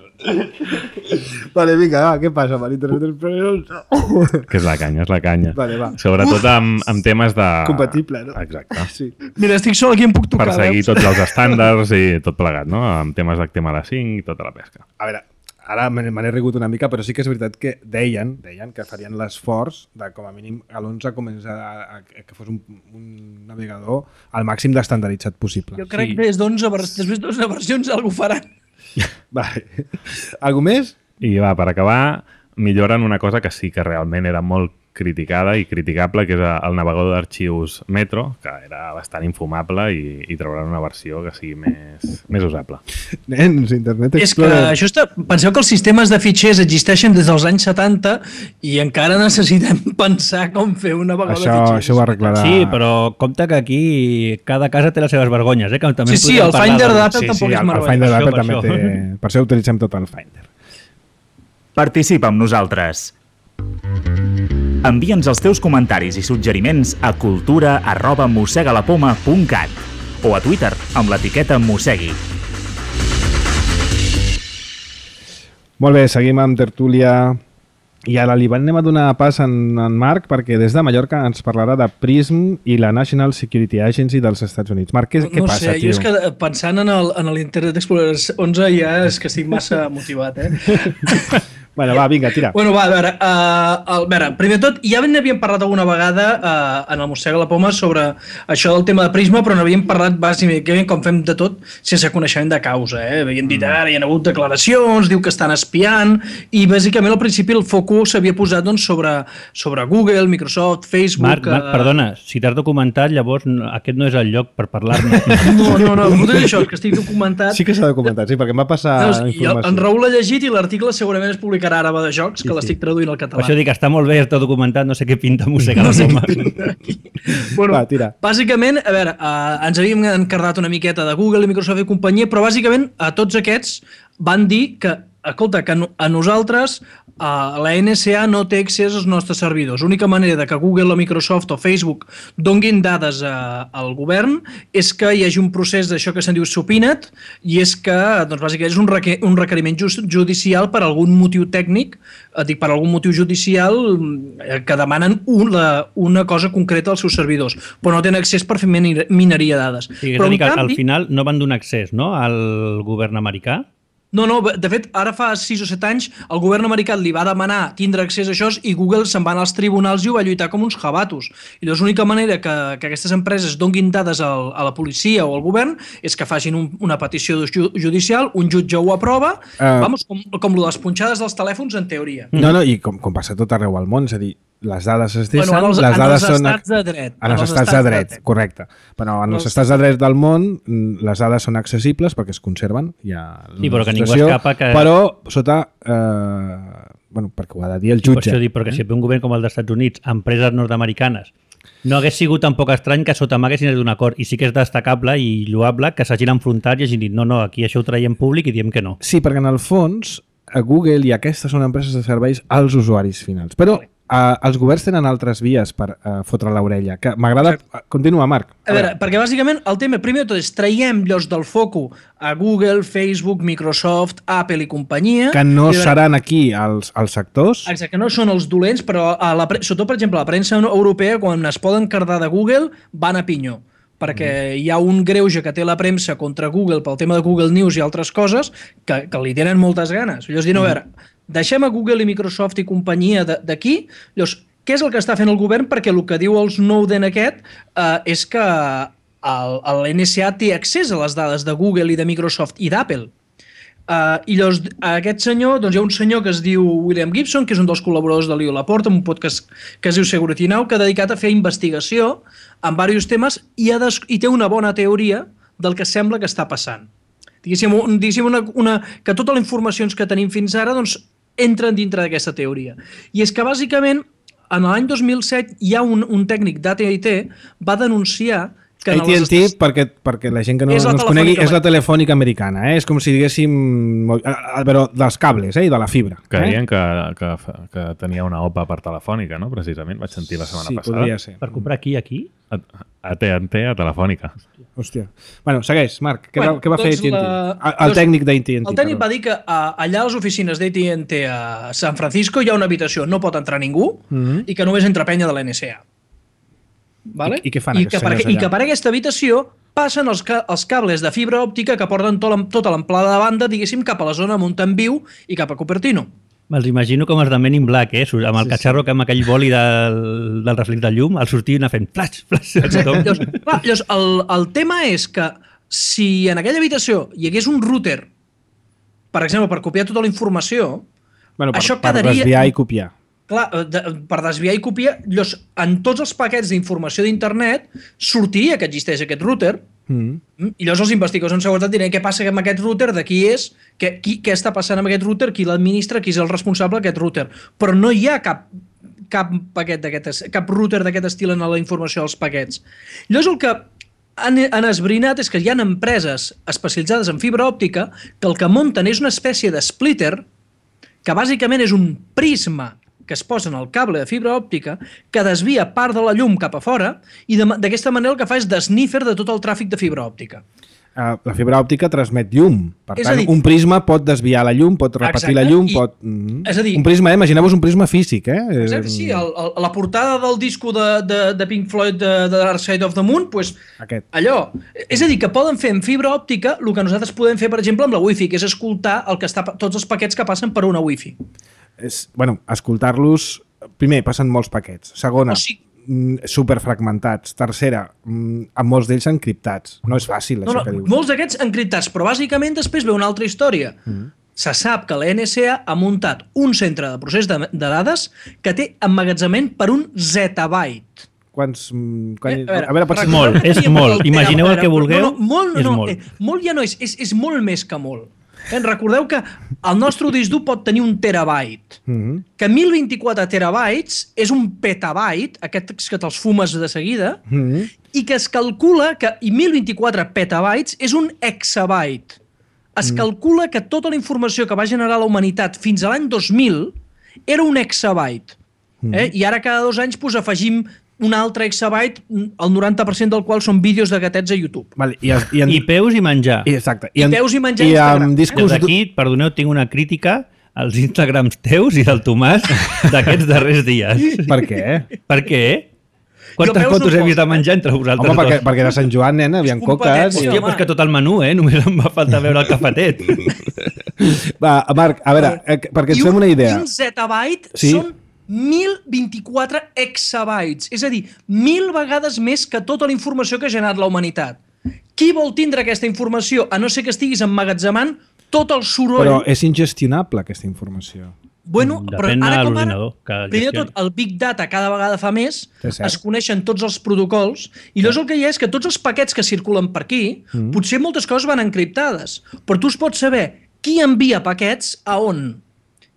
Speaker 1: Vale, vinga, va, què passa amb l'Internet Explorer onze?
Speaker 4: Que és la canya, és la canya.
Speaker 1: Vale, va.
Speaker 4: Sobretot amb, amb temes de...
Speaker 1: Compatible, no?
Speaker 4: Exacte.
Speaker 1: Sí.
Speaker 5: Mira, estic sol aquí, em puc tocar.
Speaker 4: Per seguir
Speaker 5: veus?
Speaker 4: tots els estàndards i tot plegat, no? Amb temes d'H T M L cinc i tota la pesca.
Speaker 1: A veure, ara me me n'he rigut una mica, però sí que és veritat que deien, deien que farien l'esforç de, com a mínim, a l'onze començar a, a, que fos un, un navegador al màxim d'estandarditzat possible.
Speaker 5: Jo crec
Speaker 2: Sí.
Speaker 5: que des d'onze vers... després d'onze versions algú faran.
Speaker 1: Vale. Algú més?
Speaker 4: I va, per acabar, milloren una cosa que sí que realment era molt criticada i criticable, que és el navegador d'arxius Metro, que era bastant infumable i, i trauran una versió que sigui més, més usable.
Speaker 1: Nens, Internet
Speaker 5: És que
Speaker 1: Explorer.
Speaker 5: això està... Penseu que els sistemes de fitxers existeixen des dels anys setanta i encara necessitem pensar com fer un navegador
Speaker 1: Això,
Speaker 5: de fitxers.
Speaker 1: això ho arreglarà.
Speaker 2: Sí, però compte que aquí cada casa té les seves vergonyes, eh? Que també
Speaker 5: Sí, sí,
Speaker 2: podríem
Speaker 5: el
Speaker 2: parlar
Speaker 5: Finder
Speaker 2: del-
Speaker 5: d'Apple
Speaker 1: Sí,
Speaker 5: tampoc
Speaker 1: sí,
Speaker 5: és
Speaker 1: el, el
Speaker 5: meravellós.
Speaker 1: Finder
Speaker 2: Per
Speaker 1: d'Apple
Speaker 2: això,
Speaker 1: també
Speaker 2: per
Speaker 1: té... Per això utilitzem tot el Finder.
Speaker 3: Participa amb nosaltres. Envia'ns els teus comentaris i suggeriments a cultura arroba mossegalapoma punt cat o a Twitter amb l'etiqueta mossegui.
Speaker 1: Molt bé, seguim amb tertúlia. I ara li anem a donar pas en, en Marc perquè des de Mallorca ens parlarà de PRISM i la National Security Agency dels Estats Units. Marc, què, què
Speaker 5: no
Speaker 1: passa,
Speaker 5: sé,
Speaker 1: tio?
Speaker 5: jo és que pensant en el- en l'Internet Explorer onze ja és que estic massa motivat, eh?
Speaker 1: Bueno, va, vinga, tira.
Speaker 5: Bueno, va, a veure, uh, a veure, primer de tot, ja n'havíem parlat alguna vegada uh, en el Mossega la Poma sobre això del tema de Prisma, però n'havíem parlat bàsicament com fem de tot sense coneixement de causa, eh? Havíem dit, ara hi ha hagut declaracions, diu que estan espiant, i bàsicament al principi el focus s'havia posat doncs, sobre, sobre Google, Microsoft, Facebook...
Speaker 2: Marc, Marc,
Speaker 5: eh,
Speaker 2: perdona, si t'has documentat, llavors no- aquest no és el lloc per parlar-ne.
Speaker 5: No, no, no, no és això, és que estic documentat.
Speaker 1: Sí que s'ha documentat, sí, perquè em va passar
Speaker 5: Veus, i el-
Speaker 1: informació.
Speaker 5: en Raül l'ha llegit i l'article segurament es publicarà ara va de jocs, que
Speaker 1: Sí, sí.
Speaker 5: l'estic traduint al
Speaker 2: Per
Speaker 5: català.
Speaker 2: això dic, està molt bé, està documentat, no sé què pinta música a la poma.
Speaker 5: Bueno,
Speaker 1: Va, tira.
Speaker 5: bàsicament, a veure, uh, ens havíem encardat una miqueta de Google i Microsoft i companyia, però bàsicament a tots aquests van dir que, escolta, que no- a nosaltres uh, la N S A no té accés als nostres servidors. L'única manera de que Google o Microsoft o Facebook donguin dades a, al govern és que hi hagi un procés d'això que se'n diu subpoenaed i és que, doncs, bàsicament, és un, requer, un requeriment just, judicial per algun motiu tècnic, eh, dic, per algun motiu judicial eh, que demanen un, la, una cosa concreta als seus servidors, però no tenen accés per fer miner- mineria de dades.
Speaker 2: Sí, és
Speaker 5: però,
Speaker 2: a dir,
Speaker 5: en
Speaker 2: que al
Speaker 5: canvi,
Speaker 2: final no van donar accés, no?, al govern americà.
Speaker 5: No, no, de fet, ara fa sis o set anys el govern americà li va demanar tindre accés a això i Google se'n va anar als tribunals i ho va lluitar com uns jabatos. I llavors l'única manera que, que aquestes empreses donguin dades al, a la policia o al govern és que facin un, una petició ju- judicial, un jutge ho aprova,
Speaker 1: Eh.
Speaker 5: vamos, com, com lo de les punxades dels telèfons en teoria.
Speaker 1: No, no, i com, com passa tot arreu al món, és a dir, les dades es deixen,
Speaker 5: Bueno, en els-
Speaker 1: les
Speaker 5: en
Speaker 1: dades
Speaker 5: els
Speaker 1: són...
Speaker 5: estats de dret.
Speaker 1: En els estats de dret, correcte. Però en els
Speaker 5: Els-
Speaker 1: estats de dret del món mm, les dades són accessibles perquè es conserven. Hi ha
Speaker 2: Sí, però que ningú
Speaker 1: legislació,
Speaker 2: escapa que-
Speaker 1: Però sota... Eh, bueno, perquè ho ha de dir el
Speaker 2: Per
Speaker 1: jutge.
Speaker 2: això dic, perquè si ve un govern com el dels Estats Units, empreses nord-americanes, No hagués sigut tampoc estrany que sota mà haguessin d'un acord, i sí que és destacable i lloable que s'hagin enfrontat i hagin dit no, no, aquí això ho traiem públic i diem que no.
Speaker 1: Sí, perquè en el fons a Google i aquestes són empreses de serveis als usuaris finals. Però Uh, els governs tenen altres vies per uh, fotre l'orella. Que m'agrada... Continua, Marc.
Speaker 5: A, a veure, perquè bàsicament el tema, primer de tot, és traiem llocs del foco a Google, Facebook, Microsoft, Apple i companyia.
Speaker 1: Que no
Speaker 5: veure,
Speaker 1: seran aquí els, els sectors.
Speaker 5: Exacte, que no són els dolents, però a la, sobretot, per exemple, la premsa europea, quan es poden cardar de Google, van a pinyó. Perquè mm. hi ha un greuge que té la premsa contra Google pel tema de Google News i altres coses que, que li tenen moltes ganes. Llavors, diuen, mm. a veure, deixem a Google i Microsoft i companyia d'aquí, llavors, què és el que està fent el govern? Perquè el que diu el Snowden aquest eh, és que l'N S A té accés a les dades de Google i de Microsoft i d'Apple. Uh, I llavors, aquest senyor, doncs hi ha un senyor que es diu William Gibson, que és un dels col·laboradors de l'I O Laporta, un podcast que es diu Security Now, que ha dedicat a fer investigació en diversos temes i, ha des... i té una bona teoria del que sembla que està passant. Diguéssim, un, diguéssim una, una, que totes les informacions que tenim fins ara doncs, entren dintre d'aquesta teoria. I és que, bàsicament, en l'any dos mil set hi ha un, un tècnic d'A T and T va denunciar que
Speaker 1: A T and T, perquè, perquè la gent que no, no els conegui, és la telefònica americana. Eh? És com si diguéssim... Però dels cables eh? I de la fibra.
Speaker 4: Que deien
Speaker 1: eh?
Speaker 4: que, que, que tenia una O P A per telefònica, no? Precisament, vaig sentir la setmana
Speaker 1: sí,
Speaker 4: passada.
Speaker 1: Sí, podria ser.
Speaker 2: Per comprar aquí, aquí?
Speaker 4: A T and T, a telefònica.
Speaker 1: Hòstia. Bueno, segueix, Marc. Què,
Speaker 5: bueno,
Speaker 1: va, què va fer
Speaker 5: doncs
Speaker 1: A T and T?
Speaker 5: La...
Speaker 1: El, el tècnic d'A T and T.
Speaker 5: El tècnic va dir que a, allà a les oficines d'A T and T a San Francisco hi ha una habitació, no pot entrar ningú, mm-hmm. i que només entra penya de l'N S A. Vale?
Speaker 1: I, I què fan
Speaker 5: I
Speaker 1: aquests
Speaker 5: que per,
Speaker 1: senyors allà?
Speaker 5: I que per aquesta habitació passen els, ca els cables de fibra òptica que porten tot, tota l'amplada de banda, diguéssim, cap a la zona Mountain-View i cap a Cupertino.
Speaker 2: Me'ls imagino com els de Men in Black, eh? Amb el sí, catxarro sí. que amb aquell boli del, del reflex de llum, el sortien a fent flash, flash.
Speaker 5: Llavors, clar, llavors el, el tema és que si en aquella habitació hi hagués un router, per exemple, per copiar tota la informació,
Speaker 1: bueno, per,
Speaker 5: això
Speaker 1: per
Speaker 5: quedaria...
Speaker 1: desviar i copiar.
Speaker 5: Clar, de, per desviar i copiar, llavors, en tots els paquets d'informació d'internet sortiria que existeix aquest router, mm. i llavors els investigadors en seguretat diran què passa amb aquest router, de qui és, què, qui, què està passant amb aquest router, qui l'administra, qui és el responsable d'aquest router. Però no hi ha cap, cap, paquet cap router d'aquest estil en la informació dels paquets. Llavors el que han, han esbrinat és que hi ha empreses especialitzades en fibra òptica que el que munten és una espècie de splitter que bàsicament és un prisma que es posa en el cable de fibra òptica que desvia part de la llum cap a fora i d'aquesta manera el que fa és desnífer de tot el tràfic de fibra òptica.
Speaker 1: Uh, la fibra òptica transmet llum. Per
Speaker 5: és
Speaker 1: tant,
Speaker 5: dir,
Speaker 1: un prisma pot desviar la llum, pot repetir exacte, la llum, i, pot... Mm,
Speaker 5: és a dir,
Speaker 1: un prisma, eh? Imagineu-vos un prisma físic, eh?
Speaker 5: Exacte, sí. El, el, la portada del disco de, de, de Pink Floyd de, de Dark Side of the Moon, pues,
Speaker 1: Aquest.
Speaker 5: allò. És a dir, que poden fer en fibra òptica el que nosaltres podem fer, per exemple, amb la Wi-Fi, que és escoltar el que està, tots els paquets que passen per una Wi-Fi.
Speaker 1: És, bueno, escoltar-los... Primer, passen molts paquets. Segona, o sigui, superfragmentats. Tercera, amb molts d'ells encriptats. No és fàcil,
Speaker 5: no,
Speaker 1: això
Speaker 5: no,
Speaker 1: que dius.
Speaker 5: Molts d'aquests encriptats, però bàsicament després ve una altra història. Mm. Se sap que la N S A ha muntat un centre de procés de, de dades que té emmagatzemament per un zettabyte.
Speaker 1: Quants... Quan...
Speaker 5: Eh, a veure,
Speaker 2: a veure pot ser molt, és molt. Imagineu el que vulgueu,
Speaker 5: no, no, molt, no,
Speaker 2: és
Speaker 5: no,
Speaker 2: molt.
Speaker 5: Eh, molt ja no és, és, és molt més que molt. Eh, recordeu que el nostre disc dur pot tenir un terabyte, mm-hmm. que mil vint-i-quatre terabytes és un petabyte, aquests que te'ls fumes de seguida, mm-hmm. i que es calcula que i mil vint-i-quatre petabytes és un exabyte. Es mm. calcula que tota la informació que va generar la humanitat fins a l'any dos mil era un exabyte. Mm. Eh? I ara cada dos anys pues, afegim un altre exabyte, el noranta per cent del qual són vídeos de gatets a YouTube.
Speaker 1: Vale, i, i, en...
Speaker 2: I peus i menjar.
Speaker 1: I, exacte.
Speaker 5: I, I peus i menjar
Speaker 1: i
Speaker 5: a Instagram.
Speaker 1: Discos...
Speaker 2: Des d'aquí, perdoneu, tinc una crítica als Instagrams teus i del Tomàs d'aquests darrers dies.
Speaker 1: Per què?
Speaker 2: Per què? Quantes fotos no he vist de menjar entre vosaltres
Speaker 1: Home, perquè,
Speaker 2: dos?
Speaker 1: perquè de Sant Joan, nena, havien coques...
Speaker 2: Hòstia, però és que tot el menú, eh? Només em va faltar veure el cafetet.
Speaker 1: Va, Marc, a veure, eh, perquè ens fem una idea.
Speaker 5: I un zettabyte
Speaker 1: sí?
Speaker 5: són mil vint-i-quatre exabytes, és a dir, mil vegades més que tota la informació que ha generat la humanitat. Qui vol tindre aquesta informació, a no ser que estiguis emmagatzemant tot el soroll...
Speaker 1: Però és ingestionable, aquesta informació.
Speaker 5: Bueno, però ara com ara, primer de tot, el Big Data cada vegada fa més, es coneixen tots els protocols, i llavors el que hi ha és que tots els paquets que circulen per aquí, mm. potser moltes coses van encriptades, però tu es pots saber qui envia paquets a on.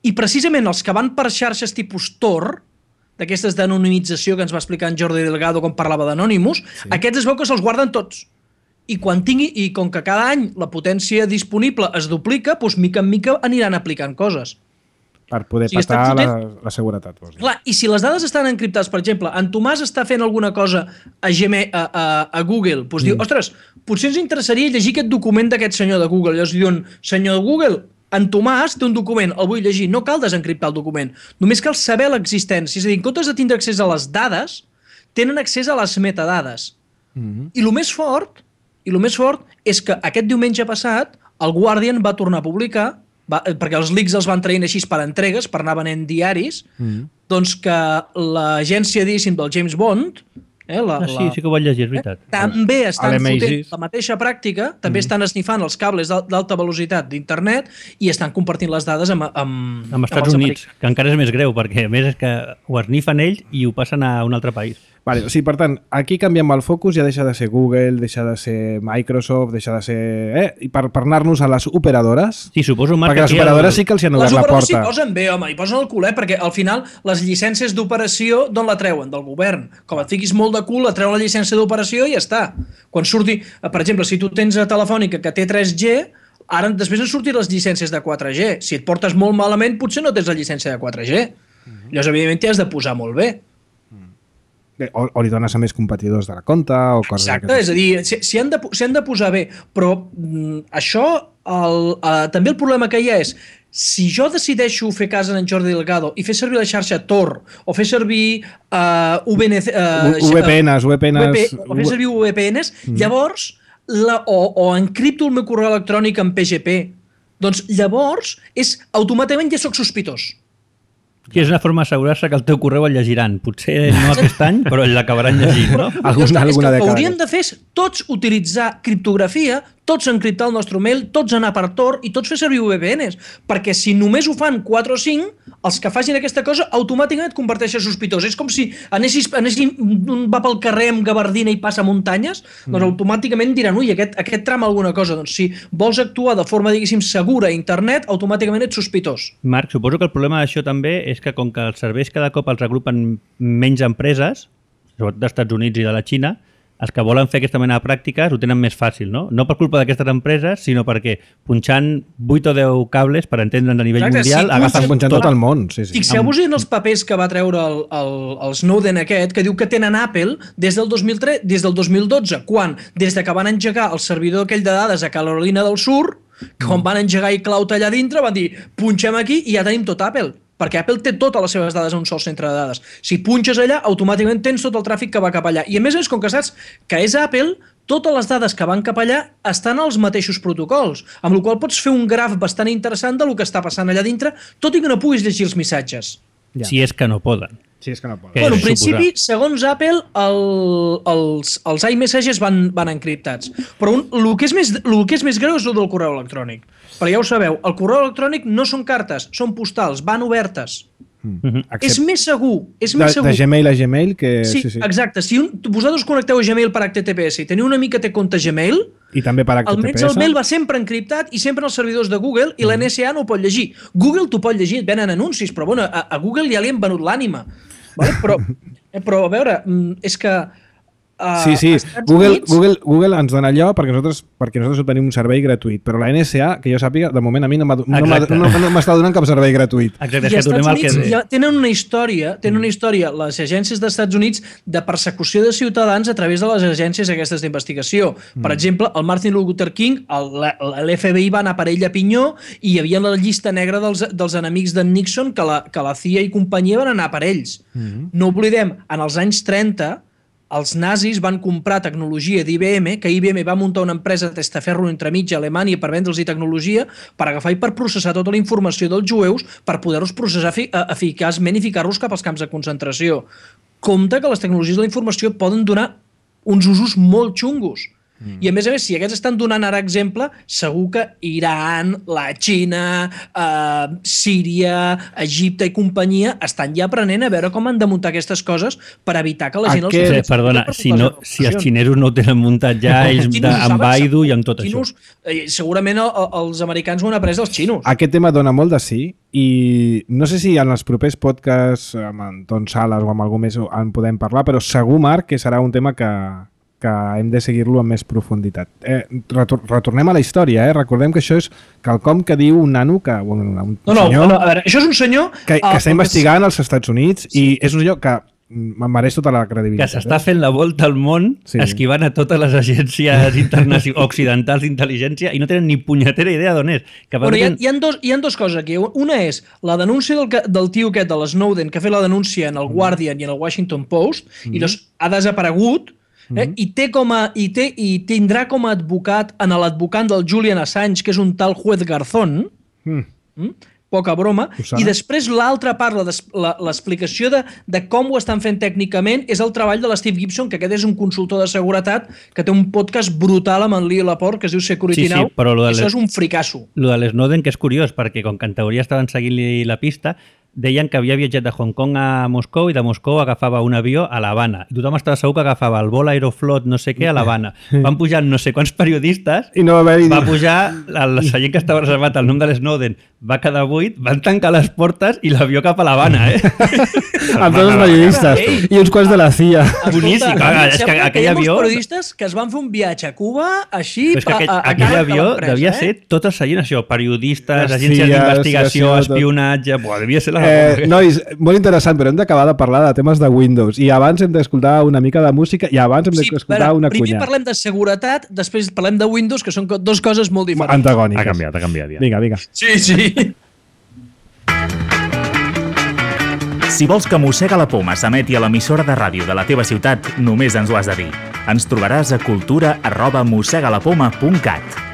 Speaker 5: I precisament els que van per xarxes tipus Tor, d'aquestes d'anonimització que ens va explicar en Jordi Delgado quan parlava d'Anonymous, sí. aquests es veu que se'ls guarden tots. I quan tingui, i com que cada any la potència disponible es duplica, doncs mica en mica aniran aplicant coses.
Speaker 1: Per poder o sigui, patar la, la seguretat. Vols dir. Clar,
Speaker 5: i si les dades estan encriptades, per exemple, en Tomàs està fent alguna cosa a, Gmail, a, a, a Google, doncs mm. diu, ostres, potser ens interessaria llegir aquest document d'aquest senyor de Google. Llavors diuen, senyor de Google, en Tomàs té un document, el vull llegir, no cal desencriptar el document, només cal saber l'existència. És a dir, en comptes de tindre accés a les dades, tenen accés a les metadades. Mm-hmm. I el més fort, i el més fort és que aquest diumenge passat el Guardian va tornar a publicar, va, perquè els leaks els van traient així per entregues, per anar venent diaris, mm-hmm. doncs que l'agència, diguéssim, del James Bond, eh, la,
Speaker 2: ah, sí, sí que ho vaig llegir, és veritat.
Speaker 5: Eh, també estan fotent la mateixa pràctica, també mm-hmm. estan esnifant els cables d'alta velocitat d'internet i estan compartint les dades amb, amb,
Speaker 2: amb Estats amb Units, americans. Que encara és més greu, perquè a més és que ho esnifen ells i ho passen a un altre país.
Speaker 1: Vale, o sigui, per tant, aquí canviem el focus, ja deixa de ser Google, deixa de ser Microsoft, deixa de ser... Eh? I per, per anar-nos a les operadores...
Speaker 2: Sí, suposo, Marc,
Speaker 1: perquè les operadores el... sí que els hi han obert la porta.
Speaker 5: Les operadores s'hi posen bé, home, hi posen el culet, perquè al final les llicències d'operació d'on la treuen? Del govern. Com et fiquis molt de cul, la treuen la llicència d'operació i ja està. Quan surti... Per exemple, si tu tens a Telefònica que té tres G, ara després han sortit les llicències de quatre G. Si et portes molt malament, potser no tens la llicència de quatre G. Uh-huh. Llavors, evidentment, t'hi has de posar molt bé.
Speaker 1: O, o li dones a més competidors de la compta o coses.
Speaker 5: Exacte, és a dir, s'hi si han, han de posar bé, però mm, això, el, uh, també el problema que hi ha és, si jo decideixo fer cas en Jordi Delgado i fer servir la xarxa Tor o fer servir uh, V N C, uh,
Speaker 1: V P Ns, V P Ns,
Speaker 5: V P, o fer servir V P Ns, mm. llavors, la, o, o encripto el meu correu electrònic en P G P, doncs llavors és, automàticament ja soc sospitós.
Speaker 2: Sí, és una forma d'assegurar-se que el teu correu el llegiran. Potser no aquest any, però l'acabaran llegint, no?
Speaker 1: Alguna, alguna
Speaker 5: és que hauríem de fer tots utilitzar criptografia, tots encriptar el nostre mail, tots anar per Tor i tots fer servir V P Ns. Perquè si només ho fan quatre o cinc, els que facin aquesta cosa automàticament et converteixen sospitós. És com si anessis, anessis un va pel carrer amb gabardina i passa muntanyes, mm. doncs automàticament diran, ui, aquest, aquest trama alguna cosa. Doncs si vols actuar de forma, diguéssim, segura a internet, automàticament ets sospitós.
Speaker 2: Marc, suposo que el problema d'això també és que com que els serveis cada cop els agrupen menys empreses, sobretot dels Estats Units i de la Xina, els que volen fer aquesta mena de pràctiques ho tenen més fàcil, no? No per culpa d'aquestes empreses, sinó perquè punxant vuit o deu cables, per entendre'ns a nivell Exacte, mundial,
Speaker 1: sí, agafen punxant tot el món. Sí, sí.
Speaker 5: Fixeu-vos en els papers que va treure el, el, el Snowden aquest, que diu que tenen Apple des del dos mil tres, des del dos mil dotze, quan, des de que van engegar el servidor aquell de dades a Carolina del Sur, quan van engegar iCloud allà dintre, van dir, punxem aquí i ja tenim tot Apple. Perquè Apple té totes les seves dades en un sol centre de dades. Si punxes allà, automàticament tens tot el tràfic que va cap allà. I a més, com que saps que és Apple, totes les dades que van cap allà estan als mateixos protocols, amb la qual cosa pots fer un graf bastant interessant del que està passant allà dintre, tot i que no puguis llegir els missatges.
Speaker 2: Ja. Si és que no poden.
Speaker 1: Sí, és que no poden.
Speaker 5: Bueno, en principi, segons Apple, el, els, els iMessages van, van encriptats. Però un, el, que és més, el que és més greu és el del correu electrònic. Però ja ho sabeu, el correu electrònic no són cartes, són postals, van obertes. Mm-hmm. És més segur. És més
Speaker 1: de,
Speaker 5: segur.
Speaker 1: De Gmail a Gmail que...
Speaker 5: Sí, sí, sí. Exacte. Si un, vosaltres connecteu a Gmail per H T T P S i teniu un amic que té compte Gmail,
Speaker 1: i també per H T T P S,
Speaker 5: almenys el mail va sempre encriptat i sempre en els servidors de Google i mm. l'N S A no ho pot llegir. Google t'ho pot llegir, et venen anuncis, però bueno, a, a Google ja li han venut l'ànima. Vale? Però, però a veure, és que uh,
Speaker 1: sí, sí. Google, Units... Google, Google ens dona allò perquè nosaltres, perquè nosaltres tenim un servei gratuït, però la N S A, que jo sàpiga, de moment a mi no m'està no no, no donant cap servei gratuït.
Speaker 2: Exacte,
Speaker 5: I als Estats Units
Speaker 2: que...
Speaker 5: ja tenen una història, tenen una història, les agències dels Estats Units, de persecució de ciutadans a través de les agències aquestes d'investigació. Mm. Per exemple, el Martin Luther King, l'F B I va anar per ell a pinyó i hi havia la llista negra dels, dels enemics d'en Nixon que la, que la C I A i companyia van anar per ells. Mm. No oblidem, en els anys trenta, els nazis van comprar tecnologia d'I B M, que I B M va muntar una empresa de testaferro entremig a Alemanya per vendre'ls tecnologia, per agafar i per processar tota la informació dels jueus per poder-los processar eficaçment i ficar-los cap als camps de concentració. Compte que les tecnologies de la informació poden donar uns usos molt xungos. Mm. I a més a més, si aquests estan donant ara exemple, segur que Iran, la Xina, eh, Síria, Egipte i companyia estan ja aprenent a veure com han de muntar aquestes coses per evitar que la gent...
Speaker 1: Aquest...
Speaker 5: Els...
Speaker 2: Sí, perdona, si, no, si els xinesos no ho tenen muntat ja, ells de, amb Baidu i amb tot
Speaker 5: xinos,
Speaker 2: això.
Speaker 5: Eh, segurament el, els americans ho han après dels xinos.
Speaker 1: Aquest tema dona molt de sí i no sé si en els propers podcasts amb Anton Sales o amb algú més en podem parlar, però segur, Marc, que serà un tema que, que hem de seguir-lo amb més profunditat. Eh, retor retornem a la història, eh? Recordem que això és quelcom que diu un nano, que, un, un
Speaker 5: no, no,
Speaker 1: senyor...
Speaker 5: No, a veure, això és un senyor...
Speaker 1: Que, que
Speaker 5: uh,
Speaker 1: està investigant als Estats Units sí. i és un senyor que me'n mereix tota la credibilitat.
Speaker 2: Que s'està fent la volta al món sí. esquivant a totes les agències internacionals occidentals d'intel·ligència i no tenen ni punyetera idea d'on és. Que
Speaker 5: bueno, hi, ha, hi, ha dos, hi ha dues coses aquí. Una és la denúncia del, del tio aquest de l'Snowden que ha fet la denúncia en el Guardian i en el Washington Post mm. i doncs ha desaparegut eh? mm. I, té com a, i, té, i tindrà com a advocat en l'advocant del Julian Assange, que és un tal juez Garzón, mm. Mm? poca broma, i després l'altra part, l'explicació de, de com ho estan fent tècnicament, és el treball de l'Steve Gibson, que aquest és un consultor de seguretat que té un podcast brutal amb en Lee Laporte, que es diu Security sí, sí, Now, però això és un fricasso.
Speaker 2: Lo de l'Snowden, que és curiós, perquè com que en teoria estaven seguint-li la pista, deien que havia viatjat de Hong Kong a Moscou i de Moscou agafava un avió a l'Havana. I tothom estava segur que agafava el vol Aeroflot no sé què a l'Havana. Van pujar no sé quants periodistes,
Speaker 1: i no va,
Speaker 2: va pujar el seient que estava reservat al nom de l'Snowden, va quedar buit, van tancar les portes i l'avió cap a l'Havana, eh?
Speaker 1: Amb tots els periodistes Ei, i uns quants de la C I A.
Speaker 2: Boníssim, clar, és que aquell avió...
Speaker 5: Hi ha periodistes que es van fer un viatge a Cuba així...
Speaker 2: Però és que aquell, a, a aquell avió devia eh? ser tot el seient això, periodistes,
Speaker 1: les
Speaker 2: agències d'investigació,
Speaker 1: tot...
Speaker 2: espionatge... Buah, devia ser la...
Speaker 1: Eh, nois, molt interessant, però hem d'acabar de parlar de temes de Windows i abans hem d'escoltar una mica de música i abans hem
Speaker 5: sí,
Speaker 1: d'escoltar una cunya.
Speaker 5: Primer parlem de seguretat, després parlem de Windows, que són dues coses molt diferents.
Speaker 1: Antagòniques.
Speaker 4: Ha canviat, ha canviat ja.
Speaker 1: Vinga, vinga.
Speaker 5: Sí, sí.
Speaker 3: Si vols que Mossega la Poma s'emeti a l'emissora de ràdio de la teva ciutat, només ens ho has de dir. Ens trobaràs a cultura arroba mossegalapoma punt cat.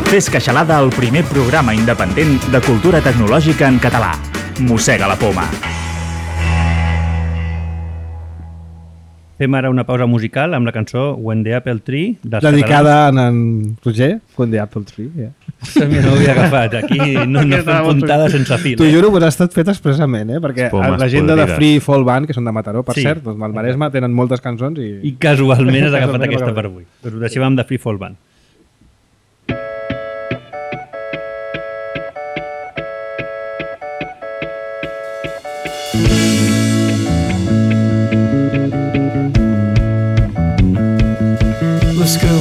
Speaker 3: Fes Queixalada, el primer programa independent de cultura tecnològica en català. Mossega la Poma.
Speaker 2: Fem ara una pausa musical amb la cançó When the Apple Tree dels
Speaker 1: dedicada catalans. A en Roger, When the Apple Tree. Yeah.
Speaker 2: No ho havia agafat. Aquí no, no fem puntada sense fil.
Speaker 1: T'ho juro que ha estat fet expressament, eh? Perquè Pomes la gent de Free Fall Band, que són de Mataró, per sí. cert, doncs al Maresme tenen moltes cançons i...
Speaker 2: I casualment has agafat aquesta per avui. Doncs ho deixem amb de Free Fall Band.
Speaker 6: Let's go.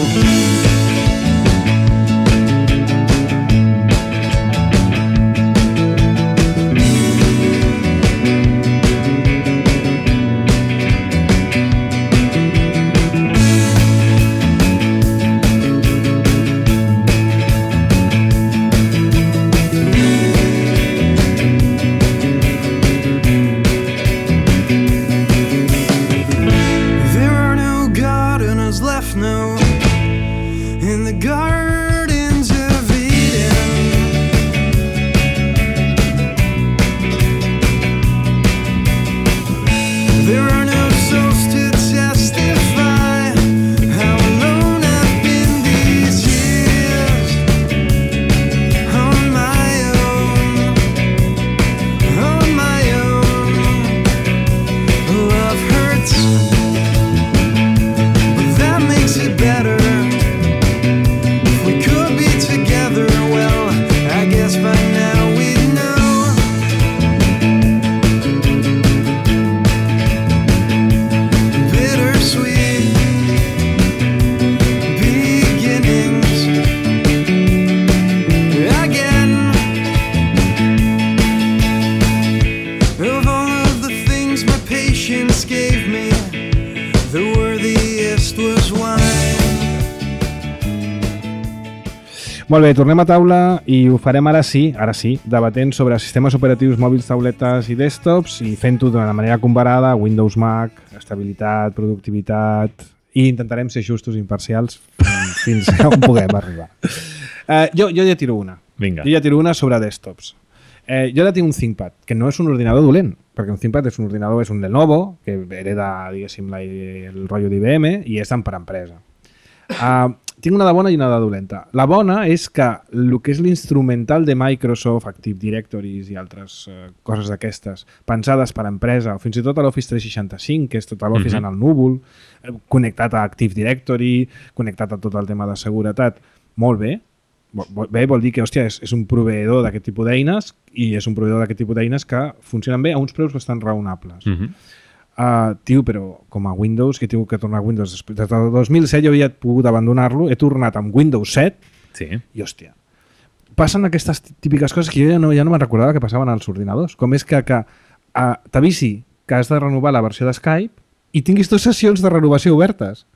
Speaker 1: Molt bé, tornem a taula i ho farem ara sí, ara sí, debatent sobre sistemes operatius mòbils, tauletes i desktops i fent-ho d'una manera comparada, Windows, Mac, estabilitat, productivitat, i intentarem ser justos i imparcials fins on puguem arribar. Uh, jo, jo ja tiro una.
Speaker 4: Vinga.
Speaker 1: Jo ja tiro una sobre desktops. Eh, jo ara tinc un ThinkPad, que no és un ordinador dolent, perquè un ThinkPad és un ordinador, és un Lenovo, que hereda, diguéssim, la, el rotllo d'I B M i és tant per empresa. Uh, tinc una de bona i una de dolenta. La bona és que el que és l'instrumental de Microsoft, Active Directories i altres uh, coses d'aquestes, pensades per empresa, o fins i tot a l'Office tres seixanta-cinc, que és tot l'Office mm-hmm. en el núvol, eh, connectat a Active Directory, connectat a tot el tema de seguretat, molt bé. Bé, vol dir que, hòstia, és, és un proveïdor d'aquest tipus d'eines i és un proveïdor d'aquest tipus d'eines que funcionen bé a uns preus bastant raonables. Mm-hmm. Uh, tio, però com a Windows, que he tingut que tornar a Windows després. Des del dos mil set jo havia pogut abandonar-lo, he tornat amb Windows set
Speaker 4: sí.
Speaker 1: i, hòstia, passen aquestes típiques coses que jo ja no, ja no me'n recordava que passaven als ordinadors. Com és que, que uh, t'avisi que has de renovar la versió de Skype i tinguis dues sessions de renovació obertes.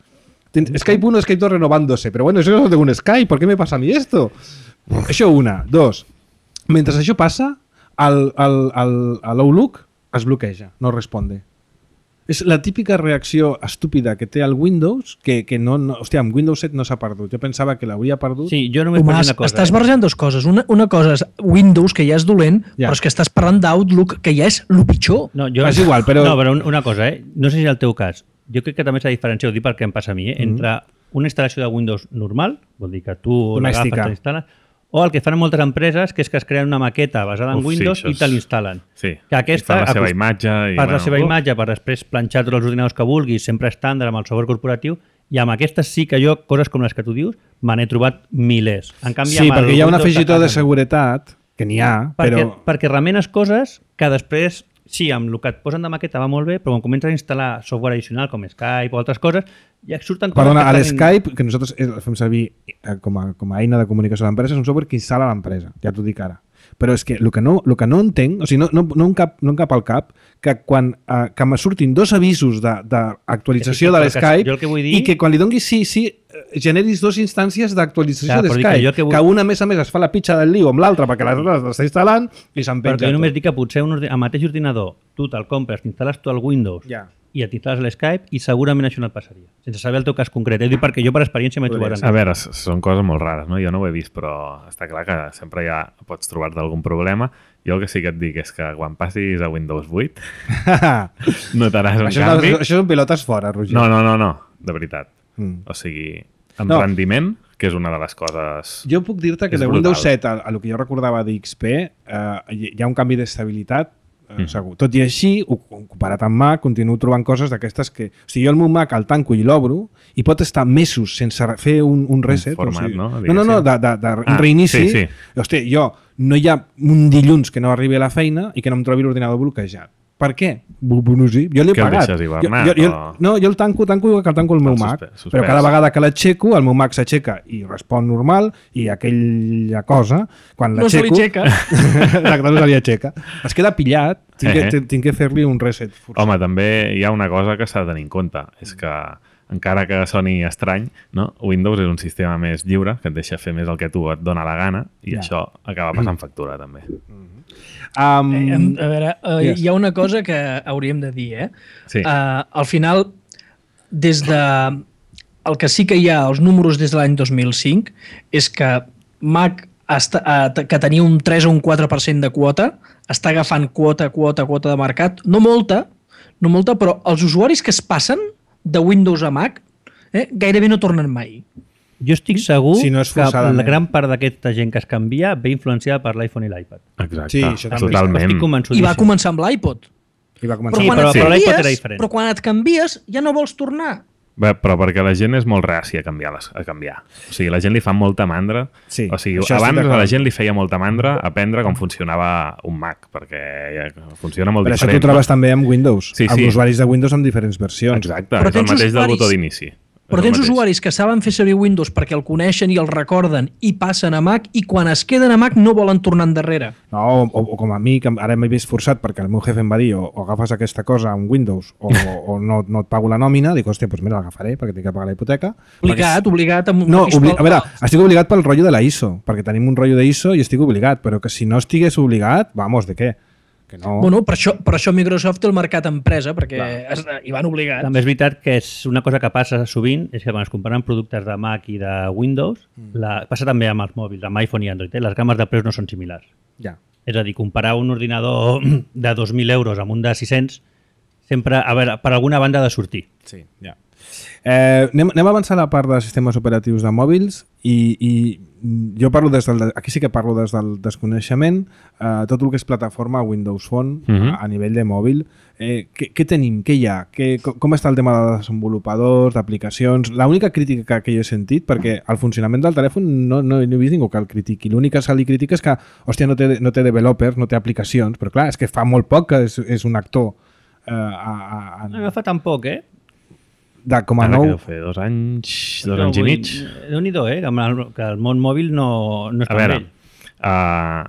Speaker 1: Tens Skype uno, Skype dos renovándose, pero bueno, eso no tengo un Skype, ¿por qué me pasa a mí esto? Això una. Dos, mentre això passa, l'Outlook es bloqueja, no responde. És la típica reacció estúpida que té el Windows, que, que no, no... Hòstia, amb Windows set no s'ha perdut. Jo pensava que l'hauria perdut.
Speaker 2: Sí, jo només
Speaker 5: Tomàs,
Speaker 2: una cosa.
Speaker 5: estàs
Speaker 2: eh?
Speaker 5: barrejant dues coses. Una, una cosa és Windows, que ja és dolent,
Speaker 1: Ja.
Speaker 5: però és que estàs parlant d'Outlook, que ja és el pitjor.
Speaker 2: No, jo...
Speaker 1: És igual, però-
Speaker 2: No, però un- una cosa, eh? No sé si és el teu cas. Jo crec que també s'ha diferenciat, ho dic perquè em passa a mi, eh? Entre una instal·lació de Windows normal, vol dir que tu
Speaker 1: Domèstica.
Speaker 2: l'agafes, t'instal·les, o el que fan moltes empreses, que és que es creen una maqueta basada en
Speaker 4: Uf, sí,
Speaker 2: Windows
Speaker 4: això
Speaker 2: i
Speaker 4: és-
Speaker 2: te l'instal·len.
Speaker 4: Sí,
Speaker 2: Que aquesta,
Speaker 4: I fan la seva
Speaker 2: acost-
Speaker 4: imatge. I,
Speaker 2: per la
Speaker 4: bueno,
Speaker 2: seva
Speaker 4: uh,
Speaker 2: imatge, per després planxar tots els ordinadors que vulguis, sempre estàndard amb el software corporatiu, i amb aquestes sí que jo, coses com les que tu dius, me n'he trobat milers. En canvi,
Speaker 1: Sí,
Speaker 2: amb el
Speaker 1: perquè hi ha un
Speaker 2: Windows
Speaker 1: afegitó de
Speaker 2: casa,
Speaker 1: seguretat, que n'hi ha,
Speaker 2: perquè,
Speaker 1: però...
Speaker 2: perquè remenes coses que després, sí, amb el que et posen de maqueta va molt bé, però quan comences a instal·lar software addicional com Skype o altres coses, ja surten coses
Speaker 1: Perdona, a
Speaker 2: que estan-
Speaker 1: l'Skype, que nosaltres el fem servir eh, com a, com a eina de comunicació de l'empresa, és un software que instal·la l'empresa, ja t'ho dic ara. Però és que el que no, el que no entenc, o sigui, no, no, no, em cap, no em cap al cap, que quan eh, que me surtin dos avisos d'actualització de,
Speaker 2: Sí,
Speaker 1: de
Speaker 2: però que
Speaker 1: l'Skype
Speaker 2: jo el que vull dir-
Speaker 1: i que quan li donis sí, sí, eh, generis dues instàncies d'actualització
Speaker 2: Clar,
Speaker 1: de
Speaker 2: però dic que
Speaker 1: Skype,
Speaker 2: jo
Speaker 1: que,
Speaker 2: que vull-
Speaker 1: que una a més a més es fa la pitxa del lío amb l'altra perquè l'altra l'està instal·lant i se'n
Speaker 2: Però
Speaker 1: penja
Speaker 2: que jo només
Speaker 1: tot.
Speaker 2: dic que potser un ordi... el mateix ordinador, tu te'l compres, t'instal·les tu el Windows
Speaker 1: Ja.
Speaker 2: i et instal·les l'Skype i segurament això no et passaria. Sense saber el teu cas concret. Eh? Dic perquè jo per experiència m'he trobat
Speaker 4: A
Speaker 2: en...
Speaker 4: veure, s- són coses molt rares, no? Jo no ho he vist, però està clar que sempre ja pots trobar-te algun problema. Jo el que sí que et dic és que quan passis a Windows vuit notaràs un
Speaker 1: això,
Speaker 4: canvi.
Speaker 1: és, això són pilotes fora, Roger.
Speaker 4: No, no, no, no, de veritat.
Speaker 1: Mm.
Speaker 4: O sigui, en
Speaker 1: No.
Speaker 4: rendiment, que és una de les coses...
Speaker 1: Jo puc dir-te que
Speaker 4: És
Speaker 1: de
Speaker 4: brutal.
Speaker 1: Windows set a, a el que jo recordava d'X P eh, hi hi ha un canvi d'estabilitat eh,
Speaker 4: Mm.
Speaker 1: segur. Tot i així, ho- comparat amb Mac, continuo trobant coses d'aquestes que... O sigui, jo el meu Mac el tanco i l'obro i pot estar mesos sense re- fer un, un reset.
Speaker 4: format,
Speaker 1: o sigui,
Speaker 4: no?
Speaker 1: No, no, no, de, de, de
Speaker 4: Ah,
Speaker 1: reinici.
Speaker 4: sí, sí.
Speaker 1: Hòstia, jo no hi ha un dilluns que no arribi a la feina i que no em trobi l'ordinador bloquejat. Per què? Bu- bu- No sé. Jo l'he
Speaker 4: Que el
Speaker 1: pagat.
Speaker 4: deixes hivernat,
Speaker 1: jo, jo,
Speaker 4: o-
Speaker 1: no, jo el tanco, tanco igual que el tanco el meu
Speaker 4: El
Speaker 1: Mac.
Speaker 4: suspe- suspès.
Speaker 1: Però cada vegada que l'aixeco, el meu Mac s'aixeca i respon normal i aquella cosa, quan
Speaker 5: No se li
Speaker 1: l'aixeco...
Speaker 5: aixeca.
Speaker 1: Exacte, no se li aixeca. Es queda pillat, tinc que,
Speaker 4: Eh.
Speaker 1: tinc- tinc que fer-li un reset forçat.
Speaker 4: Home, també hi ha una cosa que s'ha de tenir en compte, és que encara que soni estrany, no? Windows és un sistema més lliure, que et deixa fer més el que tu et dona la gana, i
Speaker 1: Ja.
Speaker 4: això acaba passant factura, també.
Speaker 1: Um,
Speaker 5: Eh, em- a veure, uh,
Speaker 1: yes.
Speaker 5: hi ha una cosa que hauríem de dir, eh?
Speaker 4: Sí.
Speaker 5: Uh, al final, des de... El que sí que hi ha, els números des de l'any dos mil cinc, és que Mac, està, uh, que tenia un tres o un quatre per cent de quota, està agafant quota, quota, quota de mercat. No molta, no molta, però els usuaris que es passen de Windows a Mac eh, gairebé no tornen mai.
Speaker 2: Jo estic segur
Speaker 1: Si no és
Speaker 2: que la
Speaker 1: forçadament.
Speaker 2: gran part d'aquesta gent que es canvia ve influenciada per l'iPhone i l'iPad.
Speaker 4: Exacte,
Speaker 1: Sí, això també.
Speaker 4: totalment.
Speaker 2: Estic
Speaker 5: I
Speaker 2: convençudíssim.
Speaker 5: va començar amb l'iPod.
Speaker 1: I va
Speaker 5: Però,
Speaker 1: començar.
Speaker 2: Sí,
Speaker 5: quan
Speaker 2: però-
Speaker 5: et
Speaker 2: però l'iPod
Speaker 5: canvies,
Speaker 2: era diferent.
Speaker 5: però quan et canvies ja no vols tornar.
Speaker 4: Bé, però perquè la gent és molt reàcia a canviar, les, a canviar. O sigui, la gent li fa molta mandra.
Speaker 1: Sí,
Speaker 4: o sigui,
Speaker 1: això estic
Speaker 4: abans a
Speaker 1: d'acord.
Speaker 4: la gent li feia molta mandra aprendre com funcionava un Mac, perquè ja funciona molt
Speaker 1: Per això
Speaker 4: diferent.
Speaker 1: tu trobes també amb Windows,
Speaker 4: Sí,
Speaker 1: amb
Speaker 4: sí.
Speaker 1: usuaris de Windows amb diferents versions.
Speaker 4: Exacte,
Speaker 5: Però
Speaker 4: és el
Speaker 5: tens
Speaker 4: mateix del
Speaker 5: usuaris-
Speaker 4: botó d'inici.
Speaker 5: Però
Speaker 4: És el
Speaker 5: tens
Speaker 4: mateix.
Speaker 5: usuaris que saben fer servir Windows perquè el coneixen i el recorden i passen a Mac i quan es queden a Mac no volen tornar endarrere.
Speaker 1: No, o, o com a mi, que ara m'he vist forçat perquè el meu jefe em va dir o, o agafes aquesta cosa amb Windows o, o no, no et pago la nòmina, dic, hòstia, doncs mira, l'agafaré perquè tinc que pagar la hipoteca.
Speaker 5: Obligat,
Speaker 1: Perquè-
Speaker 5: obligat. Amb
Speaker 1: No,
Speaker 5: amb
Speaker 1: obli...
Speaker 5: pistol-
Speaker 1: a veure, estic obligat pel rotllo de la I S O, perquè tenim un rotllo de I S O i estic obligat, però que si no estigués obligat, vamos, de què? Que no...
Speaker 5: Bueno, per això, per això Microsoft té el mercat empresa, perquè es, hi van obligats.
Speaker 2: També és veritat que és una cosa que passa sovint, és que quan es comparen productes de Mac i de Windows,
Speaker 1: Mm.
Speaker 2: la, passa també amb els mòbils, amb iPhone i Android, eh? Les games de preus no són similars.
Speaker 1: Ja.
Speaker 2: És a dir, comparar un ordinador de dos mil euros amb un de sis-cents, sempre, a veure, per alguna banda ha de sortir.
Speaker 1: Sí, ja. Eh, anem, anem a avançar a la part de sistemes operatius de mòbils i, i jo parlo des del, aquí sí que parlo des del desconeixement, eh, tot el que és plataforma Windows Phone uh -huh. a, a nivell de mòbil. Eh, què, què tenim? Què hi ha? Què, com està el tema de desenvolupadors, d'aplicacions? L'única crítica que jo he sentit, perquè el funcionament del telèfon no, no, no he vist ningú que el critiqui. L'única que se li critica és que, hòstia, no té, no té developers, no té aplicacions, però clar, és que fa molt poc que és, és un actor. Eh, a, a, a...
Speaker 2: No fa tan poc, eh?
Speaker 1: De com a
Speaker 4: Ara
Speaker 1: nou...
Speaker 4: que deu fer dos anys, dos
Speaker 2: no,
Speaker 4: anys i mig.
Speaker 2: Déu-n'hi-do, eh? Que el, que el món mòbil no, no és
Speaker 4: A
Speaker 2: tan
Speaker 4: veure,
Speaker 2: vell.
Speaker 4: uh,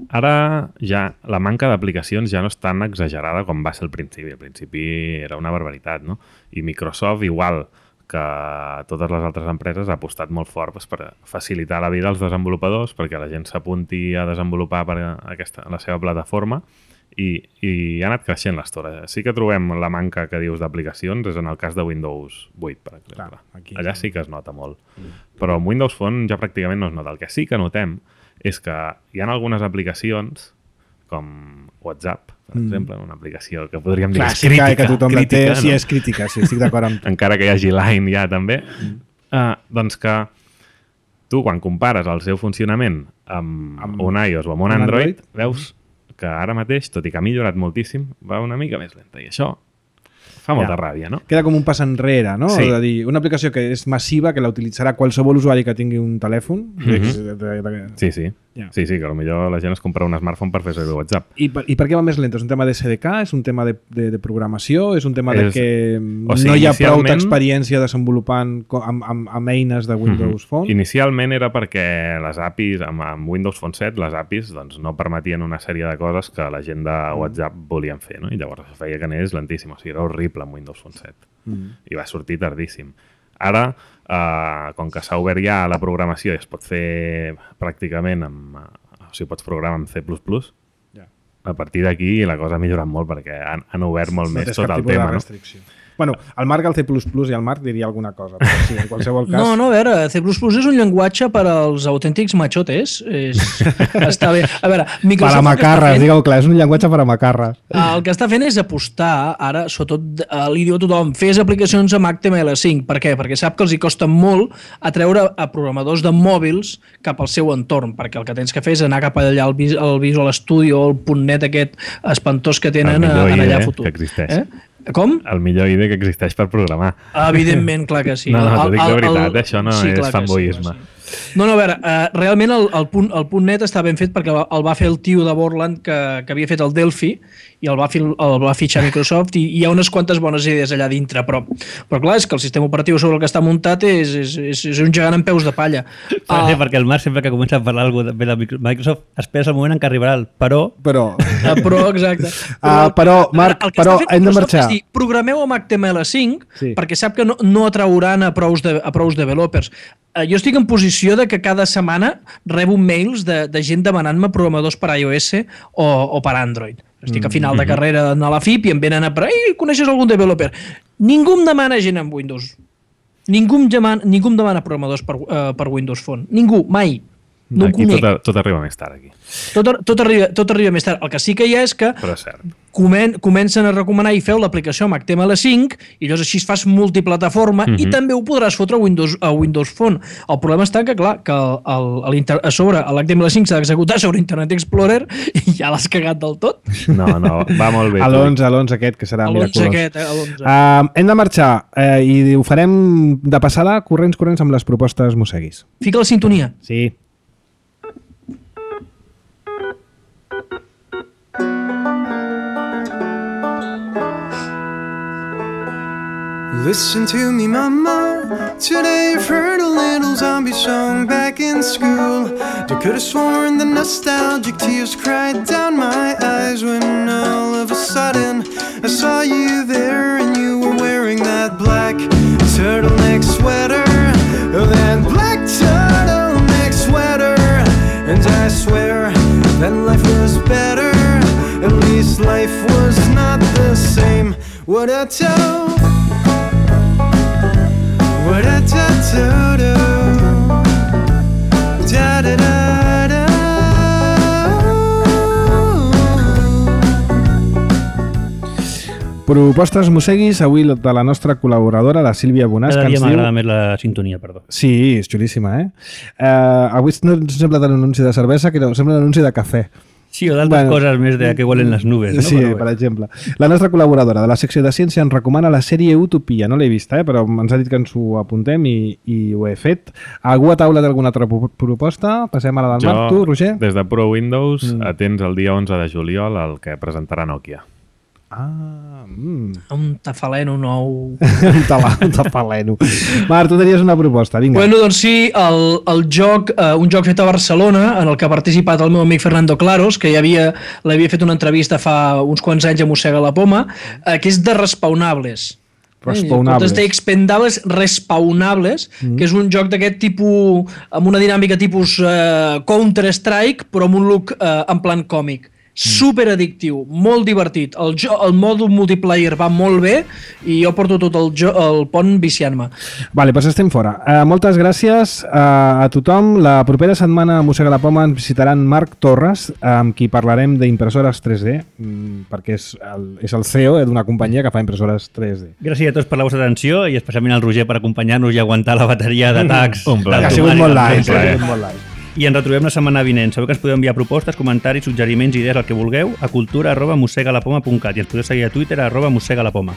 Speaker 4: ara ja la manca d'aplicacions ja no és tan exagerada com va ser al principi. Al principi era una barbaritat, no? I Microsoft, igual que totes les altres empreses, ha apostat molt fort doncs, per facilitar la vida als desenvolupadors, perquè la gent s'apunti a desenvolupar per aquesta, la seva plataforma, i, i ha anat creixent l'estora. Sí que trobem la manca que dius d'aplicacions, és en el cas de Windows vuit, per exemple.
Speaker 1: Clar, aquí
Speaker 4: allà sí que es nota molt. Mm. Però amb Windows Phone ja pràcticament no es nota. El que sí que notem és que hi ha algunes aplicacions com WhatsApp, per mm. exemple, una aplicació que podríem dir
Speaker 1: clàssica,
Speaker 4: crítica,
Speaker 1: que tothom
Speaker 4: crítica,
Speaker 1: la té,
Speaker 4: no?
Speaker 1: sí, és crítica, sí, estic d'acord amb tu.
Speaker 4: Encara que hi hagi Line ja també, mm. uh, doncs que tu quan compares el seu funcionament amb, amb un iOS o amb un Android, Android, veus que ara mateix, tot i que ha millorat moltíssim, va una mica més lenta, i això fa molta ja. ràbia, no?
Speaker 1: Queda com un pas enrere, no?
Speaker 4: Sí.
Speaker 1: És a dir, una aplicació que és massiva, que la utilitzarà qualsevol usuari que tingui un telèfon.
Speaker 4: Mm-hmm. Sí, sí. Yeah. Sí, sí, que potser la gent es compra un smartphone per fer servir WhatsApp.
Speaker 1: I per, I per què va més lent? És un tema de S D K? És un tema de, de, de programació? És un tema
Speaker 4: és...
Speaker 1: de que
Speaker 4: o sigui,
Speaker 1: no hi ha
Speaker 4: inicialment...
Speaker 1: prou experiència desenvolupant amb, amb, amb eines de Windows Phone?
Speaker 4: Mm-hmm. Inicialment era perquè les A P Is, amb, amb Windows Phone set, les A P Is doncs, no permetien una sèrie de coses que la gent de WhatsApp volien fer, no? I llavors això feia que anés lentíssim, o sigui, era horrible amb Windows Phone set. Mm. I va sortir tardíssim. Ara, eh, com que s'ha obert ja la programació i es pot fer pràcticament amb... O sigui, pots programar amb C plus plus, ja. A partir d'aquí la cosa ha millorat molt perquè han, han obert molt
Speaker 1: no
Speaker 4: més tot el tema. No?
Speaker 1: Bueno, el Marc al C plus plus i el Marc diria alguna cosa, però sí, en qualsevol cas...
Speaker 5: No, no, a veure, C plus plus és un llenguatge per als autèntics machotes. És... està bé. A veure, Microsoft...
Speaker 1: Per a macarres, fent... digueu clar, és un llenguatge per a macarres.
Speaker 5: El que està fent és apostar, ara, sobretot li diu a tothom, fes aplicacions amb H T M L cinc. Per què? Perquè sap que els hi costa molt atreure a programadors de mòbils cap al seu entorn, perquè el que tens que fer és anar cap allà al, vis al Visual Studio, el .net aquest espantós que tenen allà a futur.
Speaker 4: Que existeix.
Speaker 5: Eh? Com?
Speaker 4: El millor I D E que existeix per programar.
Speaker 5: Evidentment, clar que sí.
Speaker 4: No, no, t'ho dic de veritat,
Speaker 5: el, el,
Speaker 4: això no
Speaker 5: sí,
Speaker 4: és fanboyisme.
Speaker 5: Sí, sí. No, no, a veure, uh, realment el, el, punt, el punt net està ben fet perquè el va fer el tio de Borland que, que havia fet el Delphi i el va, fi, el va fitxar Microsoft i hi ha unes quantes bones idees allà dintre, però, però clar, és que el sistema operatiu sobre el que està muntat és, és, és, és un gegant amb peus de palla.
Speaker 2: Uh, sí, perquè el Marc sempre que comença a parlar alguna cosa de Microsoft espera el moment en què arribarà el però...
Speaker 1: Però,
Speaker 5: uh, però exacte.
Speaker 1: Però, uh, però Marc, però hem de marxar.
Speaker 5: Dir, programeu amb H T M L cinc
Speaker 1: sí.
Speaker 5: perquè sap que no, no atrauran a prous, de, a prous developers. Uh, jo estic en posició de que cada setmana rebo mails de, de gent demanant-me programadors per iOS o, o per Android. Estic a final de carrera a la F I P i em venen a per ei, coneixes algun developer? Ningú em demana gent amb Windows. Ningú em demana, ningú em demana programadors per, uh, per Windows Phone. Ningú, mai. No
Speaker 4: aquí tot, tot arriba més tard, aquí.
Speaker 5: Tot, tot, arriba, tot arriba més tard. El que sí que hi ha és que
Speaker 4: Però és cert.
Speaker 5: Comen, comencen a recomanar i feu l'aplicació amb H T M L cinc i llavors així fas multiplataforma mm -hmm. i també ho podràs fotre a Windows, a Windows Phone. El problema està que, clar, que el, el, el, a sobre l'H T M L cinc s'ha d'executar sobre Internet Explorer i ja l'has cagat del tot.
Speaker 4: No, no, va molt bé.
Speaker 1: A l'onze, a l'onze aquest, que serà miraculós.
Speaker 5: Aquest, eh, a l'onze.
Speaker 1: Uh, hem de marxar eh, i ho farem de passada, corrents, corrents amb les propostes mosseguis.
Speaker 5: Fica la sintonia.
Speaker 1: Sí.
Speaker 6: Listen to me, mama. Today I've heard a little zombie song back in school. I could have sworn the nostalgic tears cried down my eyes when all of a sudden I saw you there and you were wearing that black turtleneck sweater. That black turtleneck sweater. And I swear that life was better. At least life was not the same. What a toe. What a da-da-da-da, da-da-da-da.
Speaker 1: Propostes musseguis, avui de la nostra col·laboradora, la Sílvia Bonàs,
Speaker 2: Cada
Speaker 1: que
Speaker 2: dia
Speaker 1: ens diu...
Speaker 2: m'agrada més la sintonia, perdó.
Speaker 1: Sí, és xulíssima, eh? Uh, avui no sembla tant un anunci de cervesa, que no, sembla un anunci de cafè.
Speaker 2: Sí, o d'altres
Speaker 1: Bueno.
Speaker 2: coses més de que huelen les nubes, no?
Speaker 1: Sí,
Speaker 2: Però bé.
Speaker 1: per exemple. La nostra col·laboradora de la secció de ciència ens recomana la sèrie Utopia. No l'he vista, eh? Però ens ha dit que ens ho apuntem i, i ho he fet. Algú a taula d'alguna altra pro- proposta? Passem a la del
Speaker 4: Jo,
Speaker 1: Marc, tu, Roger?
Speaker 4: des de Pro Windows,
Speaker 1: Mm.
Speaker 4: mm. atents el dia onze de juliol el que presentarà Nokia.
Speaker 1: Ah, mm.
Speaker 5: Un tafaleno nou.
Speaker 1: un tala, un tapaleno. Marc, tu tenies una proposta, vinga.
Speaker 5: Bueno, doncs sí, el, el joc, eh, un joc fet a Barcelona, en el que ha participat el meu amic Fernando Claros, que ja havia, l'havia fet una entrevista fa uns quants anys a Mossega la Poma, eh, que és de Respawnables.
Speaker 1: Respawnables.
Speaker 5: Eh, Expendables Respawnables, mm. que és un joc d'aquest tipus, amb una dinàmica tipus eh, Counter-Strike, però amb un look eh, en plan còmic. Super addictiu, molt divertit. El, jo, el mòdul multiplayer va molt bé i jo porto tot el, jo, el pont viciant-me.
Speaker 1: Vale, doncs estem fora. Uh, moltes gràcies uh, a tothom. La propera setmana a Mossega la Poma ens visitaran Marc Torres, amb qui parlarem d'impressores tres D, mm, perquè és el, és el C E O d'una companyia que fa impressores tres D.
Speaker 2: Gràcies a tots per la vostra atenció i especialment al Roger per acompanyar-nos i aguantar la bateria d'atacs.
Speaker 4: Un plaer.
Speaker 1: Ha
Speaker 2: del
Speaker 1: sigut
Speaker 2: Tomàs i
Speaker 1: molt
Speaker 2: del
Speaker 1: light,
Speaker 2: Pere.
Speaker 1: ha sigut molt light.
Speaker 2: I ens retrobem la setmana vinent. Sabeu que ens podeu enviar propostes, comentaris, suggeriments, idees, el que vulgueu a cultura arroba mossegalapoma punt cat i ens podeu seguir a Twitter arroba mossegalapoma.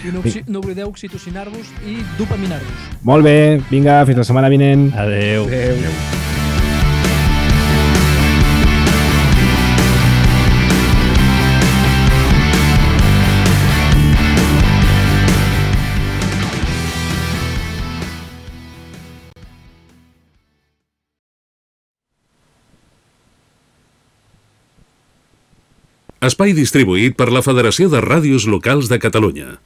Speaker 5: I no, oxi- no oblideu oxitocinar-vos i dopaminar-vos.
Speaker 1: Molt bé, vinga, fins la setmana vinent.
Speaker 2: Adeu.
Speaker 1: Adéu.
Speaker 7: Espai distribuït per la Federació de Ràdios Locals de Catalunya.